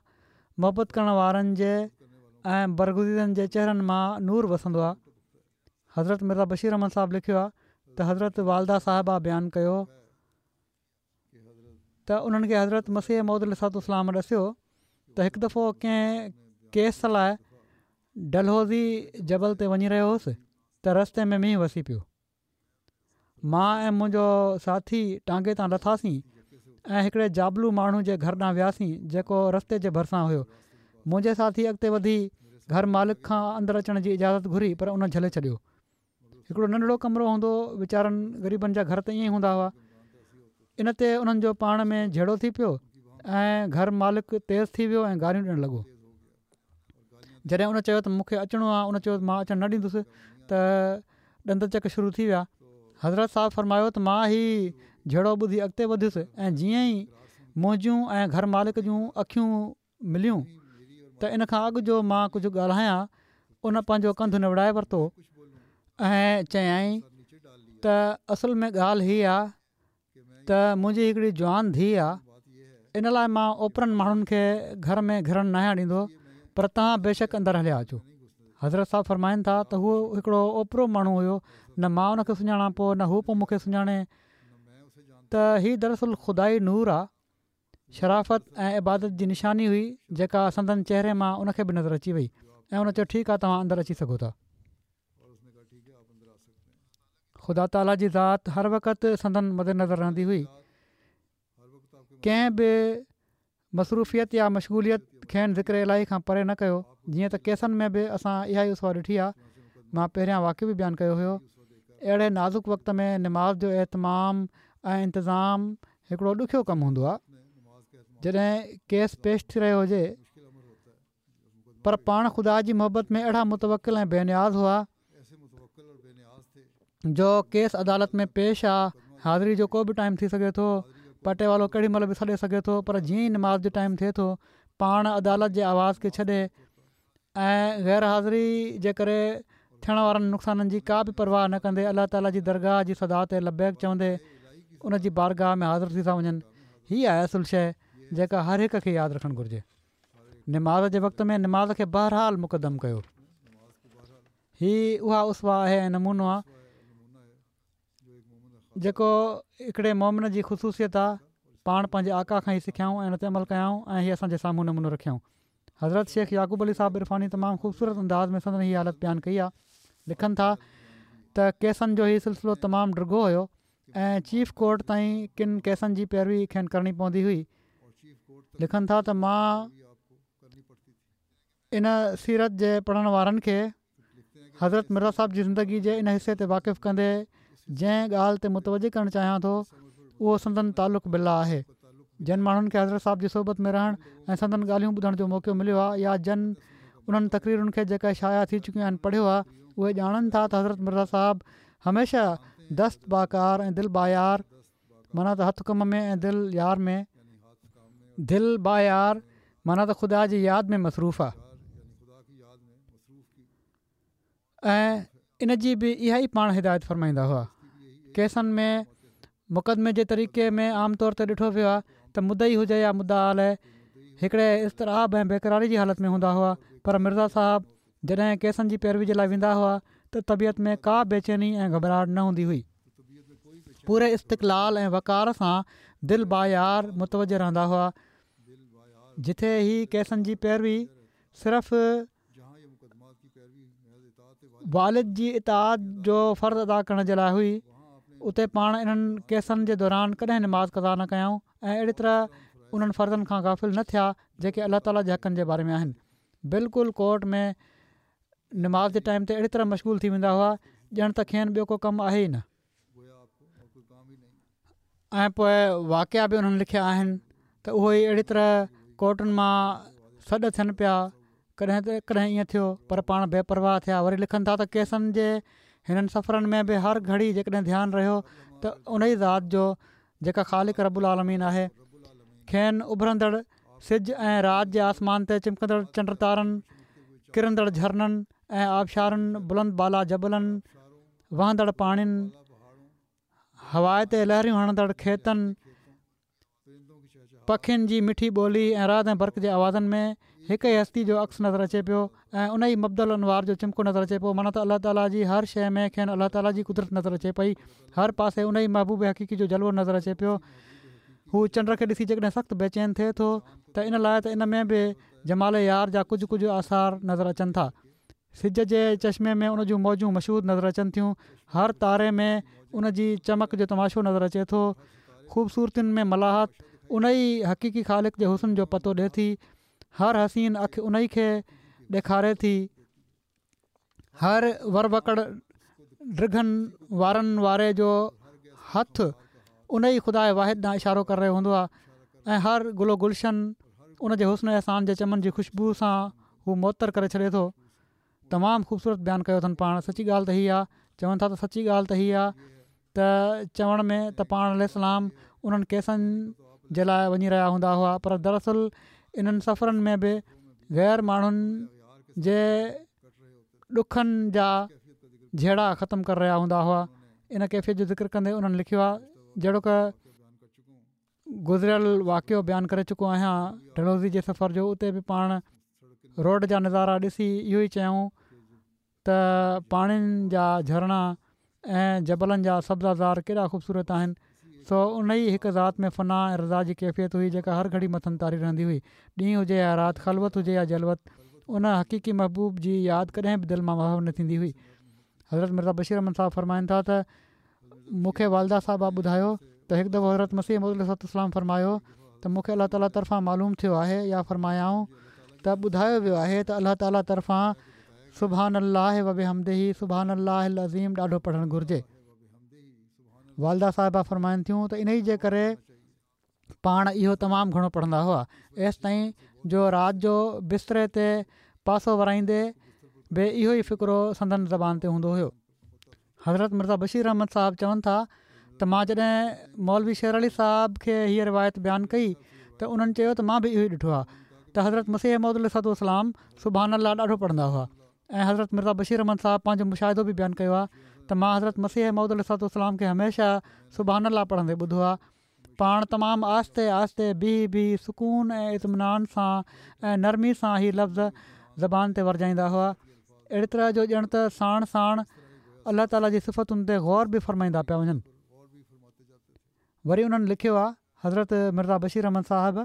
محبت ڪرڻ وارن جي ۽ برگزيدن جي چهرن مان نور وسندو آهي. حضرت مرزا بشير احمد صاحب لکيو آهي ته حضرت والده صاحبه بيان ڪيو ته انهن کي حضرت مسيح موعود عليه الصلوة والسلام ڏسيو ته هڪ دفعو ڪنهن ڪيس لاء ڊلهوزي جبل تي وڃي رهيو هوس ته رستي ۾ مينهن وسي پيو. مان ۽ منهنجو ساٿي ٽانگي تان لٿاسين ۽ هڪڙي جابلو ماڻهو جي گهر ڏانهن وياسين جيڪو رستي جي ڀرسان هيو. منهنجي ساٿي اڳتي وڌي گهر مالڪ کان اندر اچڻ جي اجازت گهري پر ان جهلي ڇڏيو. هڪڙو ننڍڙو ڪمرو هوندو، ويچارن غريبن جا گهر ته ائين ئي هوندا هئا. ان تي انهن جو پاڻ ۾ جهيڙو ٿي پيو ۽ گهر مالڪ تيز ٿي ويو ۽ گاريون ڏيڻ لڳو. جڏهن ان چيو ته مون کي اچڻو آهي، ان چيو ته مان اچڻ نه ڏيندس ته ڏند چڪ شروع ٿي ويا. حضرت صاحب فرمايو ته مان هي جهيڙو ٻڌي اڳتي وڌيس ۽ جيئن ئي منهنجون ۽ گهر مالڪ جون اکيون مليون ته ان کان اڳ جو مان ڪجهه ڳالهايان ان پنهنجو ڪنڌ نوڙائي ورتو ۽ چيائين ته اصل ۾ ڳالهه هي آ ته منهنجي هڪڙي جوان ڌيء آ، ان لاء مان اوپرن ماڻهن کي گهر ۾ گهڙڻ ناهيان ڏيندو، پر توهان بيشڪ اندر هليا اچو. حضرت صاحب فرمائن ٿا ته هو هڪڙو اوپرو ماڻهو هيو، نه مان ان کي سڃاڻان پيو نه هو پيو مون کي سڃاڻي. ته هي دراصل خدائي نور آ، شرافت ۽ عبادت جي نشاني هئي جيڪا سندن چهري مان ان کي به نظر اچي وئي ۽ ان چيو ٺيڪ آ توهان اندر اچي سگهو ٿا. خدا تعاليٰ جي ذات هر وقت سندن مدنظر رهندي هئي. ڪنهن به مصروفيت يا مشغوليت کين ذڪر الاهي کان پري نه ڪيو. جيئن ته ڪيسن ۾ به اسان اها ئي اسوه ڏٺي آهي. مان پهريان واقعو به بيان ڪيو هيو. اهڙي نازڪ وقت ۾ نماز جو اهتمام ۽ انتظام هڪڙو ڏکيو ڪم هوندو آهي. جڏهن ڪيس پيش ٿي رهيو هجي پر پاڻ خدا جي محبت ۾ اهڙا متوڪل ۽ بي نياز هئا جو ڪيس عدالت ۾ پيش آ، حاضري جو ڪو به ٽائيم ٿي سگهي ٿو، پٽيوالو ڪهڙي مهل به سڏي سگهي ٿو، پر جيئن ئي نماز جو ٽائيم ٿئي ٿو پاڻ عدالت جي آواز کي ڇڏي ۽ غير حاضري جي ڪري ٿيڻ وارن نقصانن جي ڪا به پرواهه نه ڪندي الله تعالي جي درگاهه جي صدا تي لبيڪ چوندي ان جي بارگاهه ۾ حاضر ٿي ٿا وڃن. هي آهي اصل شيء جيڪا هر هڪ کي ياد رکڻ گهرجي. نماز جي وقت ۾ نماز کي بهرحال مقدم ڪيو. هي اها اسوه آهي ۽ نمونو آهي جيڪو هڪڙي مؤمن جي خصوصيت آهي. پاڻ پنهنجي آقا کان هي سکيائون ۽ ان تي عمل ڪيائون ۽ هي اسان جي سامهون نمونو رکيائون. حضرت شيخ يعقوب علي صاحب عرفاني تمام خوبصورت انداز ۾ سندن هي حالت بيان ڪئي آهي. لکن ٿا ته ڪيسن جو هي سلسلو تمام ڊگهو هيو ۽ چيف ڪورٽ تائين ڪن ڪيسن جي پيروي کين ڪرڻي پوندي هئي. لکن ٿا ته مان ان سيرت جي پڙهڻ وارن کي حضرت مرزا صاحب جي زندگي جي ان حصي تي واقف ڪندي جنهن ڳالهه تي متوجه ڪرڻ چاهيان ٿو اهو سندن تعلق بالله آهي. جن ماڻهن کي حضرت صاحب جي صحبت ۾ رهڻ ۽ سندن ڳالهيون ٻڌڻ جو موقعو مليو آهي يا جن انهن تقريرن کي جيڪا شايع ٿي چڪيون آهن پڙهيو آهي اهي ڄاڻن ٿا ته حضرت مرزا صاحب هميشه دست باڪار ۽ دل بايار معنيٰ ته هٿ ڪم ۾ ۽ دل يار ۾، دل بايار معنيٰ ته خدا جي ياد ۾ مصروف آهي ۽ ان جي به اها ئي پاڻ هدايت فرمائيندا هئا. ڪيسن ۾ مقدمي جي طريقي ۾ عام طور تي ڏٺو ويو آهي ته مدعي هجي يا مدعا عليه هڪڙي اضطراب ۽ بيقراري جي حالت ۾ هوندا هئا پر مرزا صاحب جڏهن ڪيسن جي پيروي جي لاء ويندا هئا ته طبيعت ۾ ڪا بيچيني ۽ گهٻراهٽ نه هوندي هئي. پوري استقلال ۽ وقار سان دل بايار متوجه رهندا هئا. جتي هي ڪيسن جي پيروي صرف والد جي اطاعت جو فرض ادا ڪرڻ جي لاء هئي اتي پاڻ انهن ڪيسن جي دوران ڪڏهن نماز قضا نه ڪيائون ۽ اهڙي طرح انهن فرضن کان غافل نه ٿيا جيڪي الله تعالي جي حقن جي باري ۾ آهن. بلڪل ڪورٽ ۾ نماز جي ٽائيم تي اهڙي طرح مشغول ٿي ويندا هئا ڄڻ ته کين ٻيو ڪو ڪم آهي ئي نه. ۽ پوء واقعا به انهن لکيا آهن ته اهو ئي اهڙي طرح ڪورٽن مان سڏ ٿين پيا ڪڏهن ته ڪڏهن ائين ٿيو پر پاڻ بي پرواهه ٿيا وري لکن ٿا ته ڪيسن جي هنن سفرن ۾ به هر گهڙي جيڪڏهن ڌيان رهيو ته ان ئي ذات جو جيڪا خالق رب العالمين آهي کين اڀرندڙ سج ۽ رات جي آسمان تي چمڪندڙ چنڊ تارن ڪرندڙ جهرنن ۽ آبشارن بلند بالا جبلن وهندڙ پاڻين هوا تي لهريون هڻندڙ کيتن پکين جي مٺي ٻولي ۽ رعد ۽ برق جي آوازن ۾ هڪ ئي هستي جو عڪس نظر اچي پيو ۽ ان ئي مبداء الانوار جو چمڪو نظر اچي پيو معنيٰ ته الله تعاليٰ جي هر شيء ۾ کين الله تعاليٰ جي قدرت نظر اچي پئي هر پاسي ان ئي محبوب حقيقي جو جلوو نظر اچي پيو هو چنڊ کي ڏسي جيڪڏهن سخت بيچين ٿئي ٿو ته ان لاء ته ان ۾ به جمال يار جا ڪجهه ڪجهه آثار نظر اچن ٿا سج جي چشمي ۾ ان جون موجون مشهود نظر اچن ٿيون هر تاري ۾ ان جي چمڪ جو تماشو نظر اچي ٿو خوبصورتين ۾ ملاحت ان ئي حقيقي خالق جي حسن جو پتو ڏي ٿي هر حسين اک ان ئي کي ڏيکاري ٿي هر ور وڪڙ ڊگهن وارن واري جو هٿ ان ئي خدا واحد ڏانهن اشارو ڪري رهيو هوندو آهي ۽ هر گل و گلشن ان جي حسن و احسان جي چمن جي خوشبو سان هو معطر ڪري ڇڏي ٿو تمام خوبصورت بيان ڪيو اٿن پاڻ سچي ڳالهه ته هي آ چون ٿا ته سچي ڳالهه ته هي آ ته چوڻ ۾ ته پاڻ عليه السلام انهن ڪيسن جي لاء وڃي رهيا هوندا هئا پر دراصل انهن سفرن ۾ به غير ماڻهن جي ڏکن جا جهيڙا ختم ڪري رهيا هوندا هئا ان ڪيفيت جو ذڪر ڪندي انهن لکيو آ جهڙوڪ گذريل واقعو بيان ڪري چڪو آهيان ڊلهوزي جي سفر جو اتي به پاڻ روڊ جا نظارا ڏسي اهو ئي چيائون ته پاڻين جا جهرڻا ۽ جبلن جا سبزازار ڪيڏا خوبصورت آهن. سو ان ئي هڪ ذات ۾ فنا ۽ رضا جي ڪيفيت هئي جيڪا هر گهڙي مٿن طاري رهندي هئي. ڏينهن هجي يا رات، خلوت هجي يا جلوت، ان حقيقي محبوب جي ياد ڪڏهن به دل مان محو نه ٿيندي هئي. حضرت مرزا بشير احمد صاحب فرمائن ٿا ته مون کي والده صاحبه ٻڌايو ته هڪ دفعو حضرت مسيح موعود عليه الصلوة والسلام فرمايو ته مون کي الله تعاليٰ طرفان معلوم ٿيو آهي يا فرمايائون ته ٻڌايو ويو آهي ته الله تعاليٰ طرفان سبحان الله وبحمده سبحان الله العظيم ڏاڍو پڙهڻ گهرجي. والده صاحبه فرمائن ٿيون ته انهي جي ڪري پاڻ اهو تمام گهڻو پڙهندا هئا، ايستائين جو رات جو بستري تي پاسو ورائيندي به اهو ئي فقرو سندن زبان تي هوندو هيو. حضرت مرزا بشير احمد صاحب چون ٿا ته مان جڏهن مولوي شير علي صاحب کي هيء روايت بيان ڪئي ته انهن چيو ته مان به اهو ئي ڏٺو آهي ته حضرت مسيح موعود عليه الصلوة والسلام سبحان الله ڏاڍو پڙهندا هئا ۽ حضرت مرزا بشير احمد صاحب پنهنجو مشاهدو به بيان ڪيو آهي ته مان حضرت مسيح موعود عليه الصلوة والسلام کي هميشه سبحان الله پڙهندي ٻڌو آهي. پاڻ تمام آهستي آهستي بيهي بيهي سڪون ۽ اطمينان سان ۽ نرمي سان هي لفظ زبان تي ورجائيندا هئا، اهڙي طرح جو ڄڻ ته ساڻ ساڻ الله تعاليٰ جي صفتن تي غور به فرمائيندا پيا وڃن. وري انهن لکيو آهي حضرت مرزا بشير احمد صاحب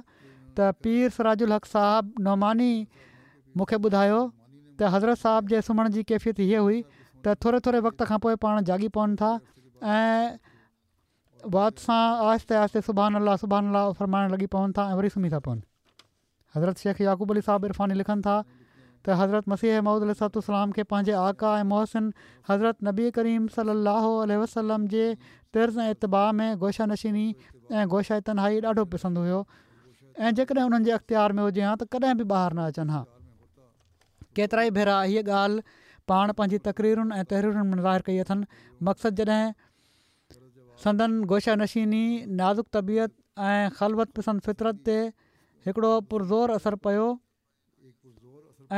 ته پير سراج الحق صاحب نعماني مون کي ٻڌايو ته حضرت صاحب جي سمهڻ جي ڪيفيت هيء هئي ته ٿوري ٿوري وقت کان پوء پاڻ جاڳي پون ٿا ۽ وات سان آهستي آهستي سبحان الله سبحان الله فرمائڻ لڳي پون ٿا ۽ وري سمهي ٿا پون. حضرت شيخ يعقوب علي صاحب عرفاني لکن ٿا ته حضرت مسيح موعود عليه الصلوة والسلام کي پنهنجي آقا ۽ محسن حضرت نبي ڪريم صلي الله عليه وسلم جي طرز ۽ اتباع ۾ گوشه نشيني ۽ گوشه تنهائي ڏاڍو پسند هيو ۽ جيڪڏهن انهن جي اختيار ۾ هجي ها ته ڪڏهن به ٻاهر نه اچن ها. ڪيترائي ڀيرا هيء ڳالهه پاڻ پنهنجي تقريرن ۽ تحريرن ۾ ظاهر ڪئي اٿن. مقصد جڏهن سندن گوشه نشيني نازڪ طبيعت ۽ خلوت پسند فطرت تي هڪڙو پرزور اثر پيو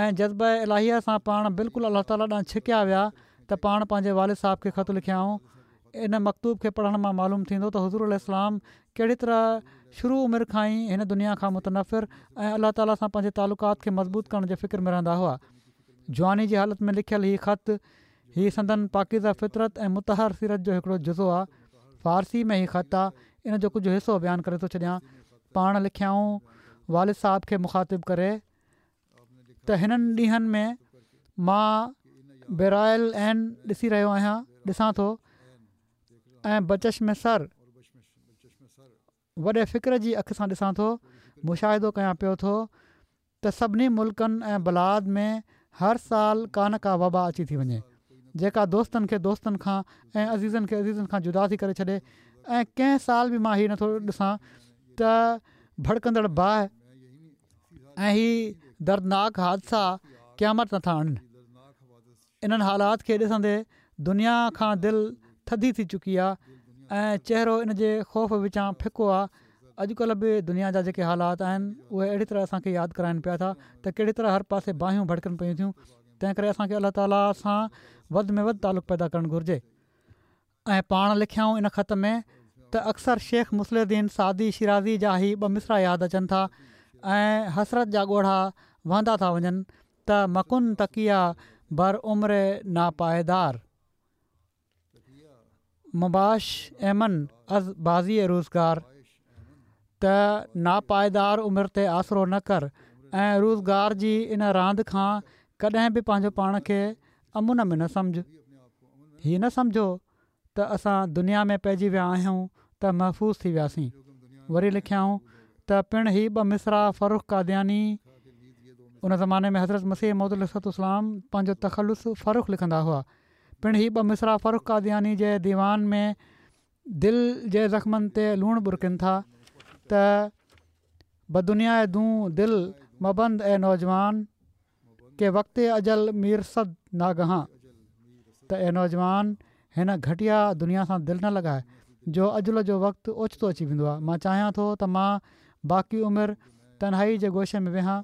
۽ جذبه الاهيه سان پاڻ بلڪل الله تعاليٰ ڏانهن ڇڪيا ويا ته پاڻ پنهنجي والد صاحب کي خط لکيائون. ان مڪتوب کي پڙهڻ مان معلوم ٿيندو ته حضور عليه السلام ڪهڙي طرح شروع عمر کان ئي هن دنيا کان متنفر ۽ الله تعاليٰ سان پنهنجي تعلقات کي مضبوط ڪرڻ جي فڪر ۾ رهندا هئا. جواني جي حالت ۾ لکيل هي خط هي سندن پاڪيزه فطرت ۽ مطهر سيرت جو هڪڙو جزو آ. فارسي ۾ هي خط آ، ان جو ڪجهه حصو بيان ڪري ٿو ڇڏيان. پاڻ لکيائون والد صاحب کي مخاطب ڪري ته هنن ڏينهن ۾ مان برائي العين ڏسي رهيو آهيان، ڏسان ٿو ۽ بچشم سر وڏي فڪر جي اک سان ڏسان ٿو، مشاهدو ڪيان پيو ٿو ته سڀني ملڪن ۽ بلاد ۾ هر سال ڪا نه ڪا وبا اچي ٿي وڃي، جيڪا دوستن کي دوستن کان ۽ عزيزن کي عزيزن کان جدا ٿي ڪري ڇڏي ۽ ڪنهن سال به مان هي نٿو ڏسان ته ڀڙڪندڙ باهه ۽ هي دردناڪ حادثا قيامت نٿا آڻن. انهن حالات کي ڏسندي دنيا کان دل ٿڌي ٿي چڪي آ ۽ چهرو ان جي خوف وچان ڦڪو آ. اڄڪلهه به دنيا جا جيڪي حالات آهن اهي اهڙي طرح اسان کي ياد ڪرائن پيا ٿا ته ڪهڙي طرح هر پاسي باهيون ڀڙڪن پيون ٿيون. تنهن ڪري اسان کي الله تعاليٰ سان وڌ ۾ وڌ تعلق پيدا ڪرڻ گهرجي. ۽ پاڻ لکيائون ان خط ۾ ته اڪثر شيخ مصلح الدين سعدي شيرازي جا هي ٻه مصرع ياد اچن ٿا ۽ حسرت جا ڳوڙها وهندا ٿا وڃن ته مڪن تڪيه بر عمر ناپائيدار مباش ايمن از بازي روزگار ته ناپائيدار عمر تي آسرو نه ڪر ۽ روزگار جي ان راند کان ڪڏهن به پنهنجو پاڻ کي امن ۾ نه سمجهه. هي نه سمجهو ته اسان دنيا ۾ پئجي ويا آهيون ته محفوظ ٿي وياسين. وري لکيائون ته پڻ هي ٻه مصرع فرخ قادياني ان زماني ۾ حضرت مسيح موعود عليه الصلوة والسلام پنهنجو تخلص فرخ لکندا هئا. پڻ هي ٻه مصرع فرخ قادياني جي ديوان ۾ دل جي زخمن تي لوڻ ٻرڪن ٿا ته بدنياء دون دل مبند اي نوجوان ڪه وقت اجل ميرسد ناگهان ته اي نوجوان هن گهٽيا دنيا سان دل نه لڳاء جو اجل جو وقت اوچتو اچي ويندو آهي. مان چاهيان ٿو ته مان باقي عمر تنهائي جي گوشي ۾ ويهان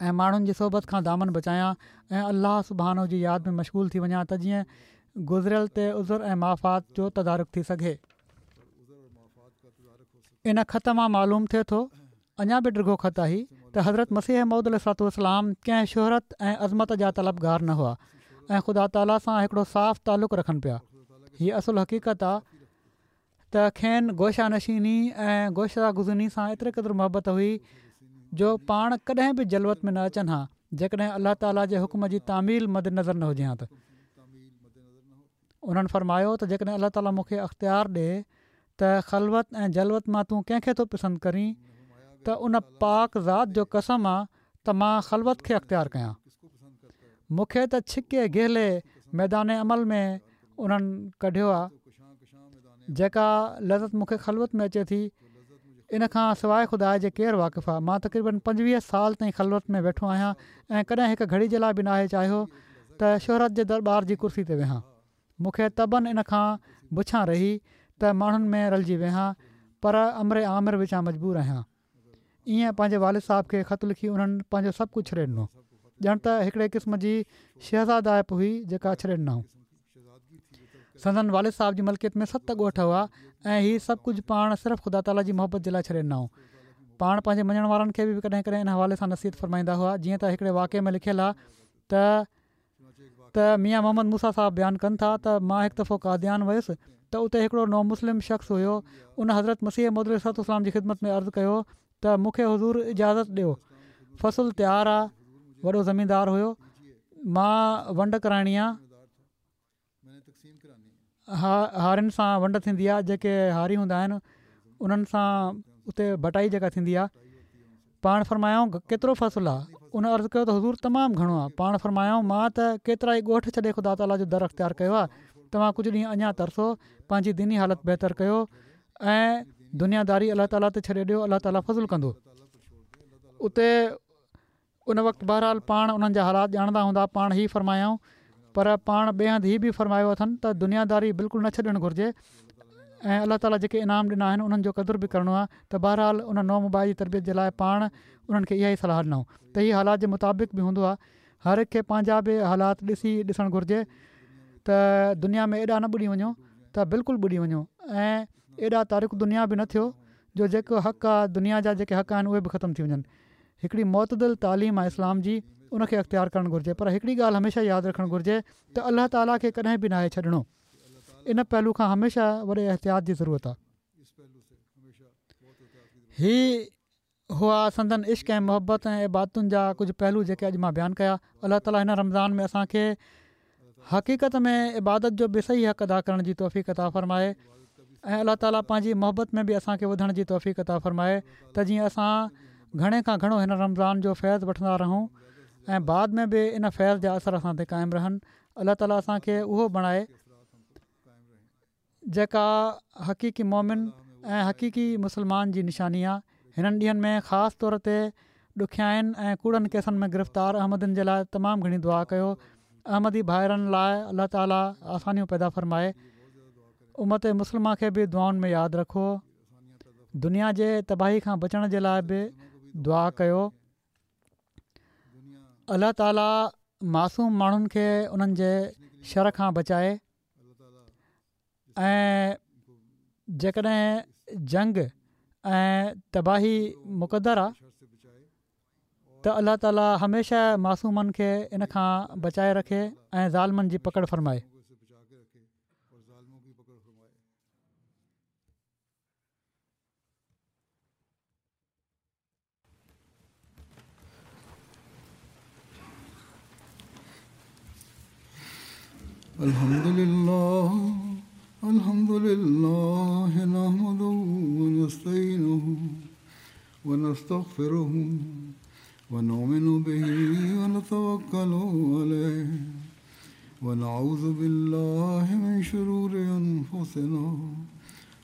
۽ ماڻهن جي صحبت کان دامن بچايان ۽ الله سبحانه جي ياد ۾ مشغول ٿي وڃان ته جيئن گذريل تي عذر ۽ مافات جو تدارڪ ٿي سگهي. ان خط مان معلوم ٿئي ٿو، اڃا به ڊگهو خط آهي، ته حضرت مسيح موعود عليه الصلوة والسلام ڪنهن شهرت ۽ عظمت جا طلبگار نه هئا. ۽ خدا تعاليٰ سان هڪڙو صاف تعلق رکن پيا. هيء اصل حقيقت آ ته کين گوشه نشيني ۽ گوشه گزيني سان ايتري قدر محبت هئي جو پاڻ ڪڏهن به جلوت ۾ نه اچن ها جيڪڏهن الله تعاليٰ جي حڪم جي تعميل مد نظر نه هجي ها. ته انهن فرمايو ته جيڪڏهن الله تعاليٰ مون کي اختيار ڏي ته خلوت ۽ جلوت مان تون ڪنهن کي ٿو پسند ڪرين ته ان پاڪ ذات جو قسم آ ته مان خلوت کي اختيار ڪيان. مون کي ته ڇڪي گهلي ميدان عمل ۾ انهن ڪڍيو آ. جيڪا لذت مون کي خلوت ۾ اچي ٿي ان کان سواء خدا جي ڪير واقف آ. مان تقريبن پنجويهه سال تائين خلوت ۾ ويٺو آهيان ۽ ڪڏهن هڪ گهڙي جي لاء به ناهي چاهيو ته شهرت جي درٻار جي ڪرسي تي ويهان. مون کي طبعاً ان کان بڇان رهي ته ماڻهن ۾ رلجي ويهان پر امر آمر وچان مجبور آهيان. ائين پنهنجي والد صاحب کي خط لکي انهن پنهنجو سڀ ڪجهه ڇڏي ڏنو. ڄڻ ته هڪڙي قسم جي شهزادائپ هئي جيڪا ڇڏي ڏنائون. سندن والد صاحب جي ملڪيت ۾ ست ڳوٺ هئا ۽ هي سڀ ڪجهه پاڻ صرف خدا تعاليٰ جي محبت جي لاء ڇڏي ڏنائون. پاڻ پنهنجي مڃڻ وارن کي به ڪڏهن ڪڏهن ان حوالي سان نصيحت فرمائيندا هئا. جيئن ته هڪڙي واقعي ۾ لکيل آهي ته ته ميان محمد موسيٰ صاحب بيان ڪن ٿا ته مان هڪ دفعو قاديان ويس ته اتي هڪڙو نو مسلم شخص هيو. ان حضرت مسيح موعود عليه الصلوة والسلام جي خدمت ۾ عرض ڪيو ته مون کي حضور اجازت ڏيو، فصل تيار آ، وڏو زميندار هيو، مان ونڊ ڪرائڻي آ، هارين سان ونڊ ٿيندي آ، جيڪي هاري هوندا آهن انهن سان اتي بٽائي جيڪا ٿيندي آ. پاڻ فرمايائون ڪيترو فصل آ؟ ان عرض ڪيو ته حضور تمام گهڻو آ. پاڻ فرمايائون مان ته ڪيترائي ڳوٺ ڇڏي خدا تعاليٰ جو در اختيار ڪيو آ، توهان ڪجهه ڏينهن اڃا ترسو، پنهنجي ديني حالت بهتر ڪيو ۽ دنياداري الله تعاليٰ تي ڇڏي ڏيو، الله تعاليٰ فضل ڪندو. اتي ان وقت بهرحال پاڻ انهن جا حالات ڄاڻندا هوندا. پاڻ هي فرمايائون پر پاڻ ٻئي هنڌ هي به فرمايو اٿن ته دنياداري بلڪل نه ڇڏڻ گهرجي ۽ الله تعاليٰ جيڪي انعام ڏنا آهن انهن جو قدر به ڪرڻو آهي. ته بهرحال ان نو مبائع جي تربيت جي لاء پاڻ انهن کي اها ئي صلاح ڏنائون ته هي حالات جي مطابق به هوندو آهي. هر هڪ کي پنهنجا به حالات ڏسي ڏسڻ گهرجي ته دنيا ۾ ايڏا نه ٻڏي وڃو ته بلڪل ٻڏي وڃو ۽ ايڏا تارڪ دنيا به نه ٿيو جو جيڪو حق آهي دنيا جا جيڪي حق آهن اهي به ختم ٿي وڃن. هڪڙي معتدل تعليم آهي اسلام جي، ان کي اختيار ڪرڻ گهرجي. پر هڪڙي ڳالهه هميشه ياد رکڻ گهرجي ته الله تعاليٰ کي ڪڏهن به ناهي ڇڏڻو. ان پهلو کان هميشه وڏي احتياط جي ضرورت آهي. هي هئا سندن عشق ۽ محبت ۽ عبادتن جا ڪجهه پهلو جيڪي اڄ مان بيان ڪيا. الله تعاليٰ هن رمضان ۾ اسان کي حقيقت ۾ عبادت جو به صحيح حق ادا ڪرڻ جي توفيق عطا فرمائي ۽ الله تعاليٰ پنهنجي محبت ۾ به اسان کي وڌڻ جي توفيق عطا فرمائي ته جيئن اسان گهڻي کان گهڻو هن رمضان جو فيض وٺندا رهون ۽ بعد ۾ به ان فيض جا اثر اسان تي قائم رهن. الله تعاليٰ اسان کي اهو بڻائي جيڪا حقيقي مومن ۽ حقيقي مسلمان جي نشاني آهي. هنن ڏينهن ۾ خاص طور تي ڏکيائين ۽ ڪوڙن ڪيسن ۾ گرفتار احمدين جي لاء تمام گهڻي دعا ڪيو. احمدي ڀائرن لاء الله تعاليٰ آسانيون پيدا فرمائي. امت مسلمه کي به دعائن ۾ ياد رکو. دنيا جي تباهي کان بچڻ جي لاء به دعا ڪيو. الله تعاليٰ معصوم ماڻهن کي انهن جي شر کان بچائي ۽ جيڪڏهن جنگ ۽ تباهي مقدر آ ته الله تعاليٰ هميشه معصومن کي ان کان بچائي رکي ۽ ظالمن جي پڪڙ فرمائي. الحمد لله الحمد لله نحمده ونستعينه ونستغفره ونؤمن به ونتوكل عليه ونعوذ بالله من شرور أنفسنا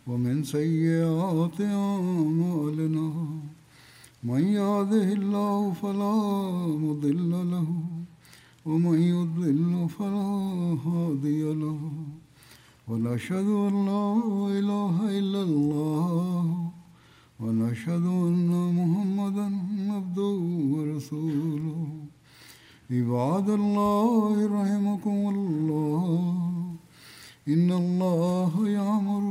ومن سيئات أعمالنا من يهده الله فلا مضل له ومن يضلل فلا هادي له ونشهد أن لا إله إلا الله ونشهد أن محمدا عبده ورسوله. عباد الله رحمكم الله، إن الله يأمر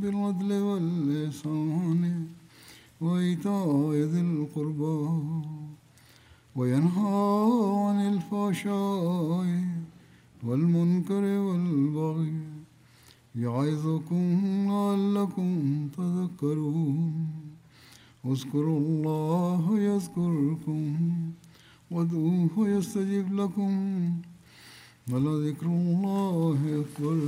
بالعدل والإحسان وإيتاء ذي القربى وينهى عن الفحشاء والمنكر والبغي يعظكم لعلكم تذكرون. اذكروا الله يذكركم وادعوه يستجب لكم ولذكر الله أكبر.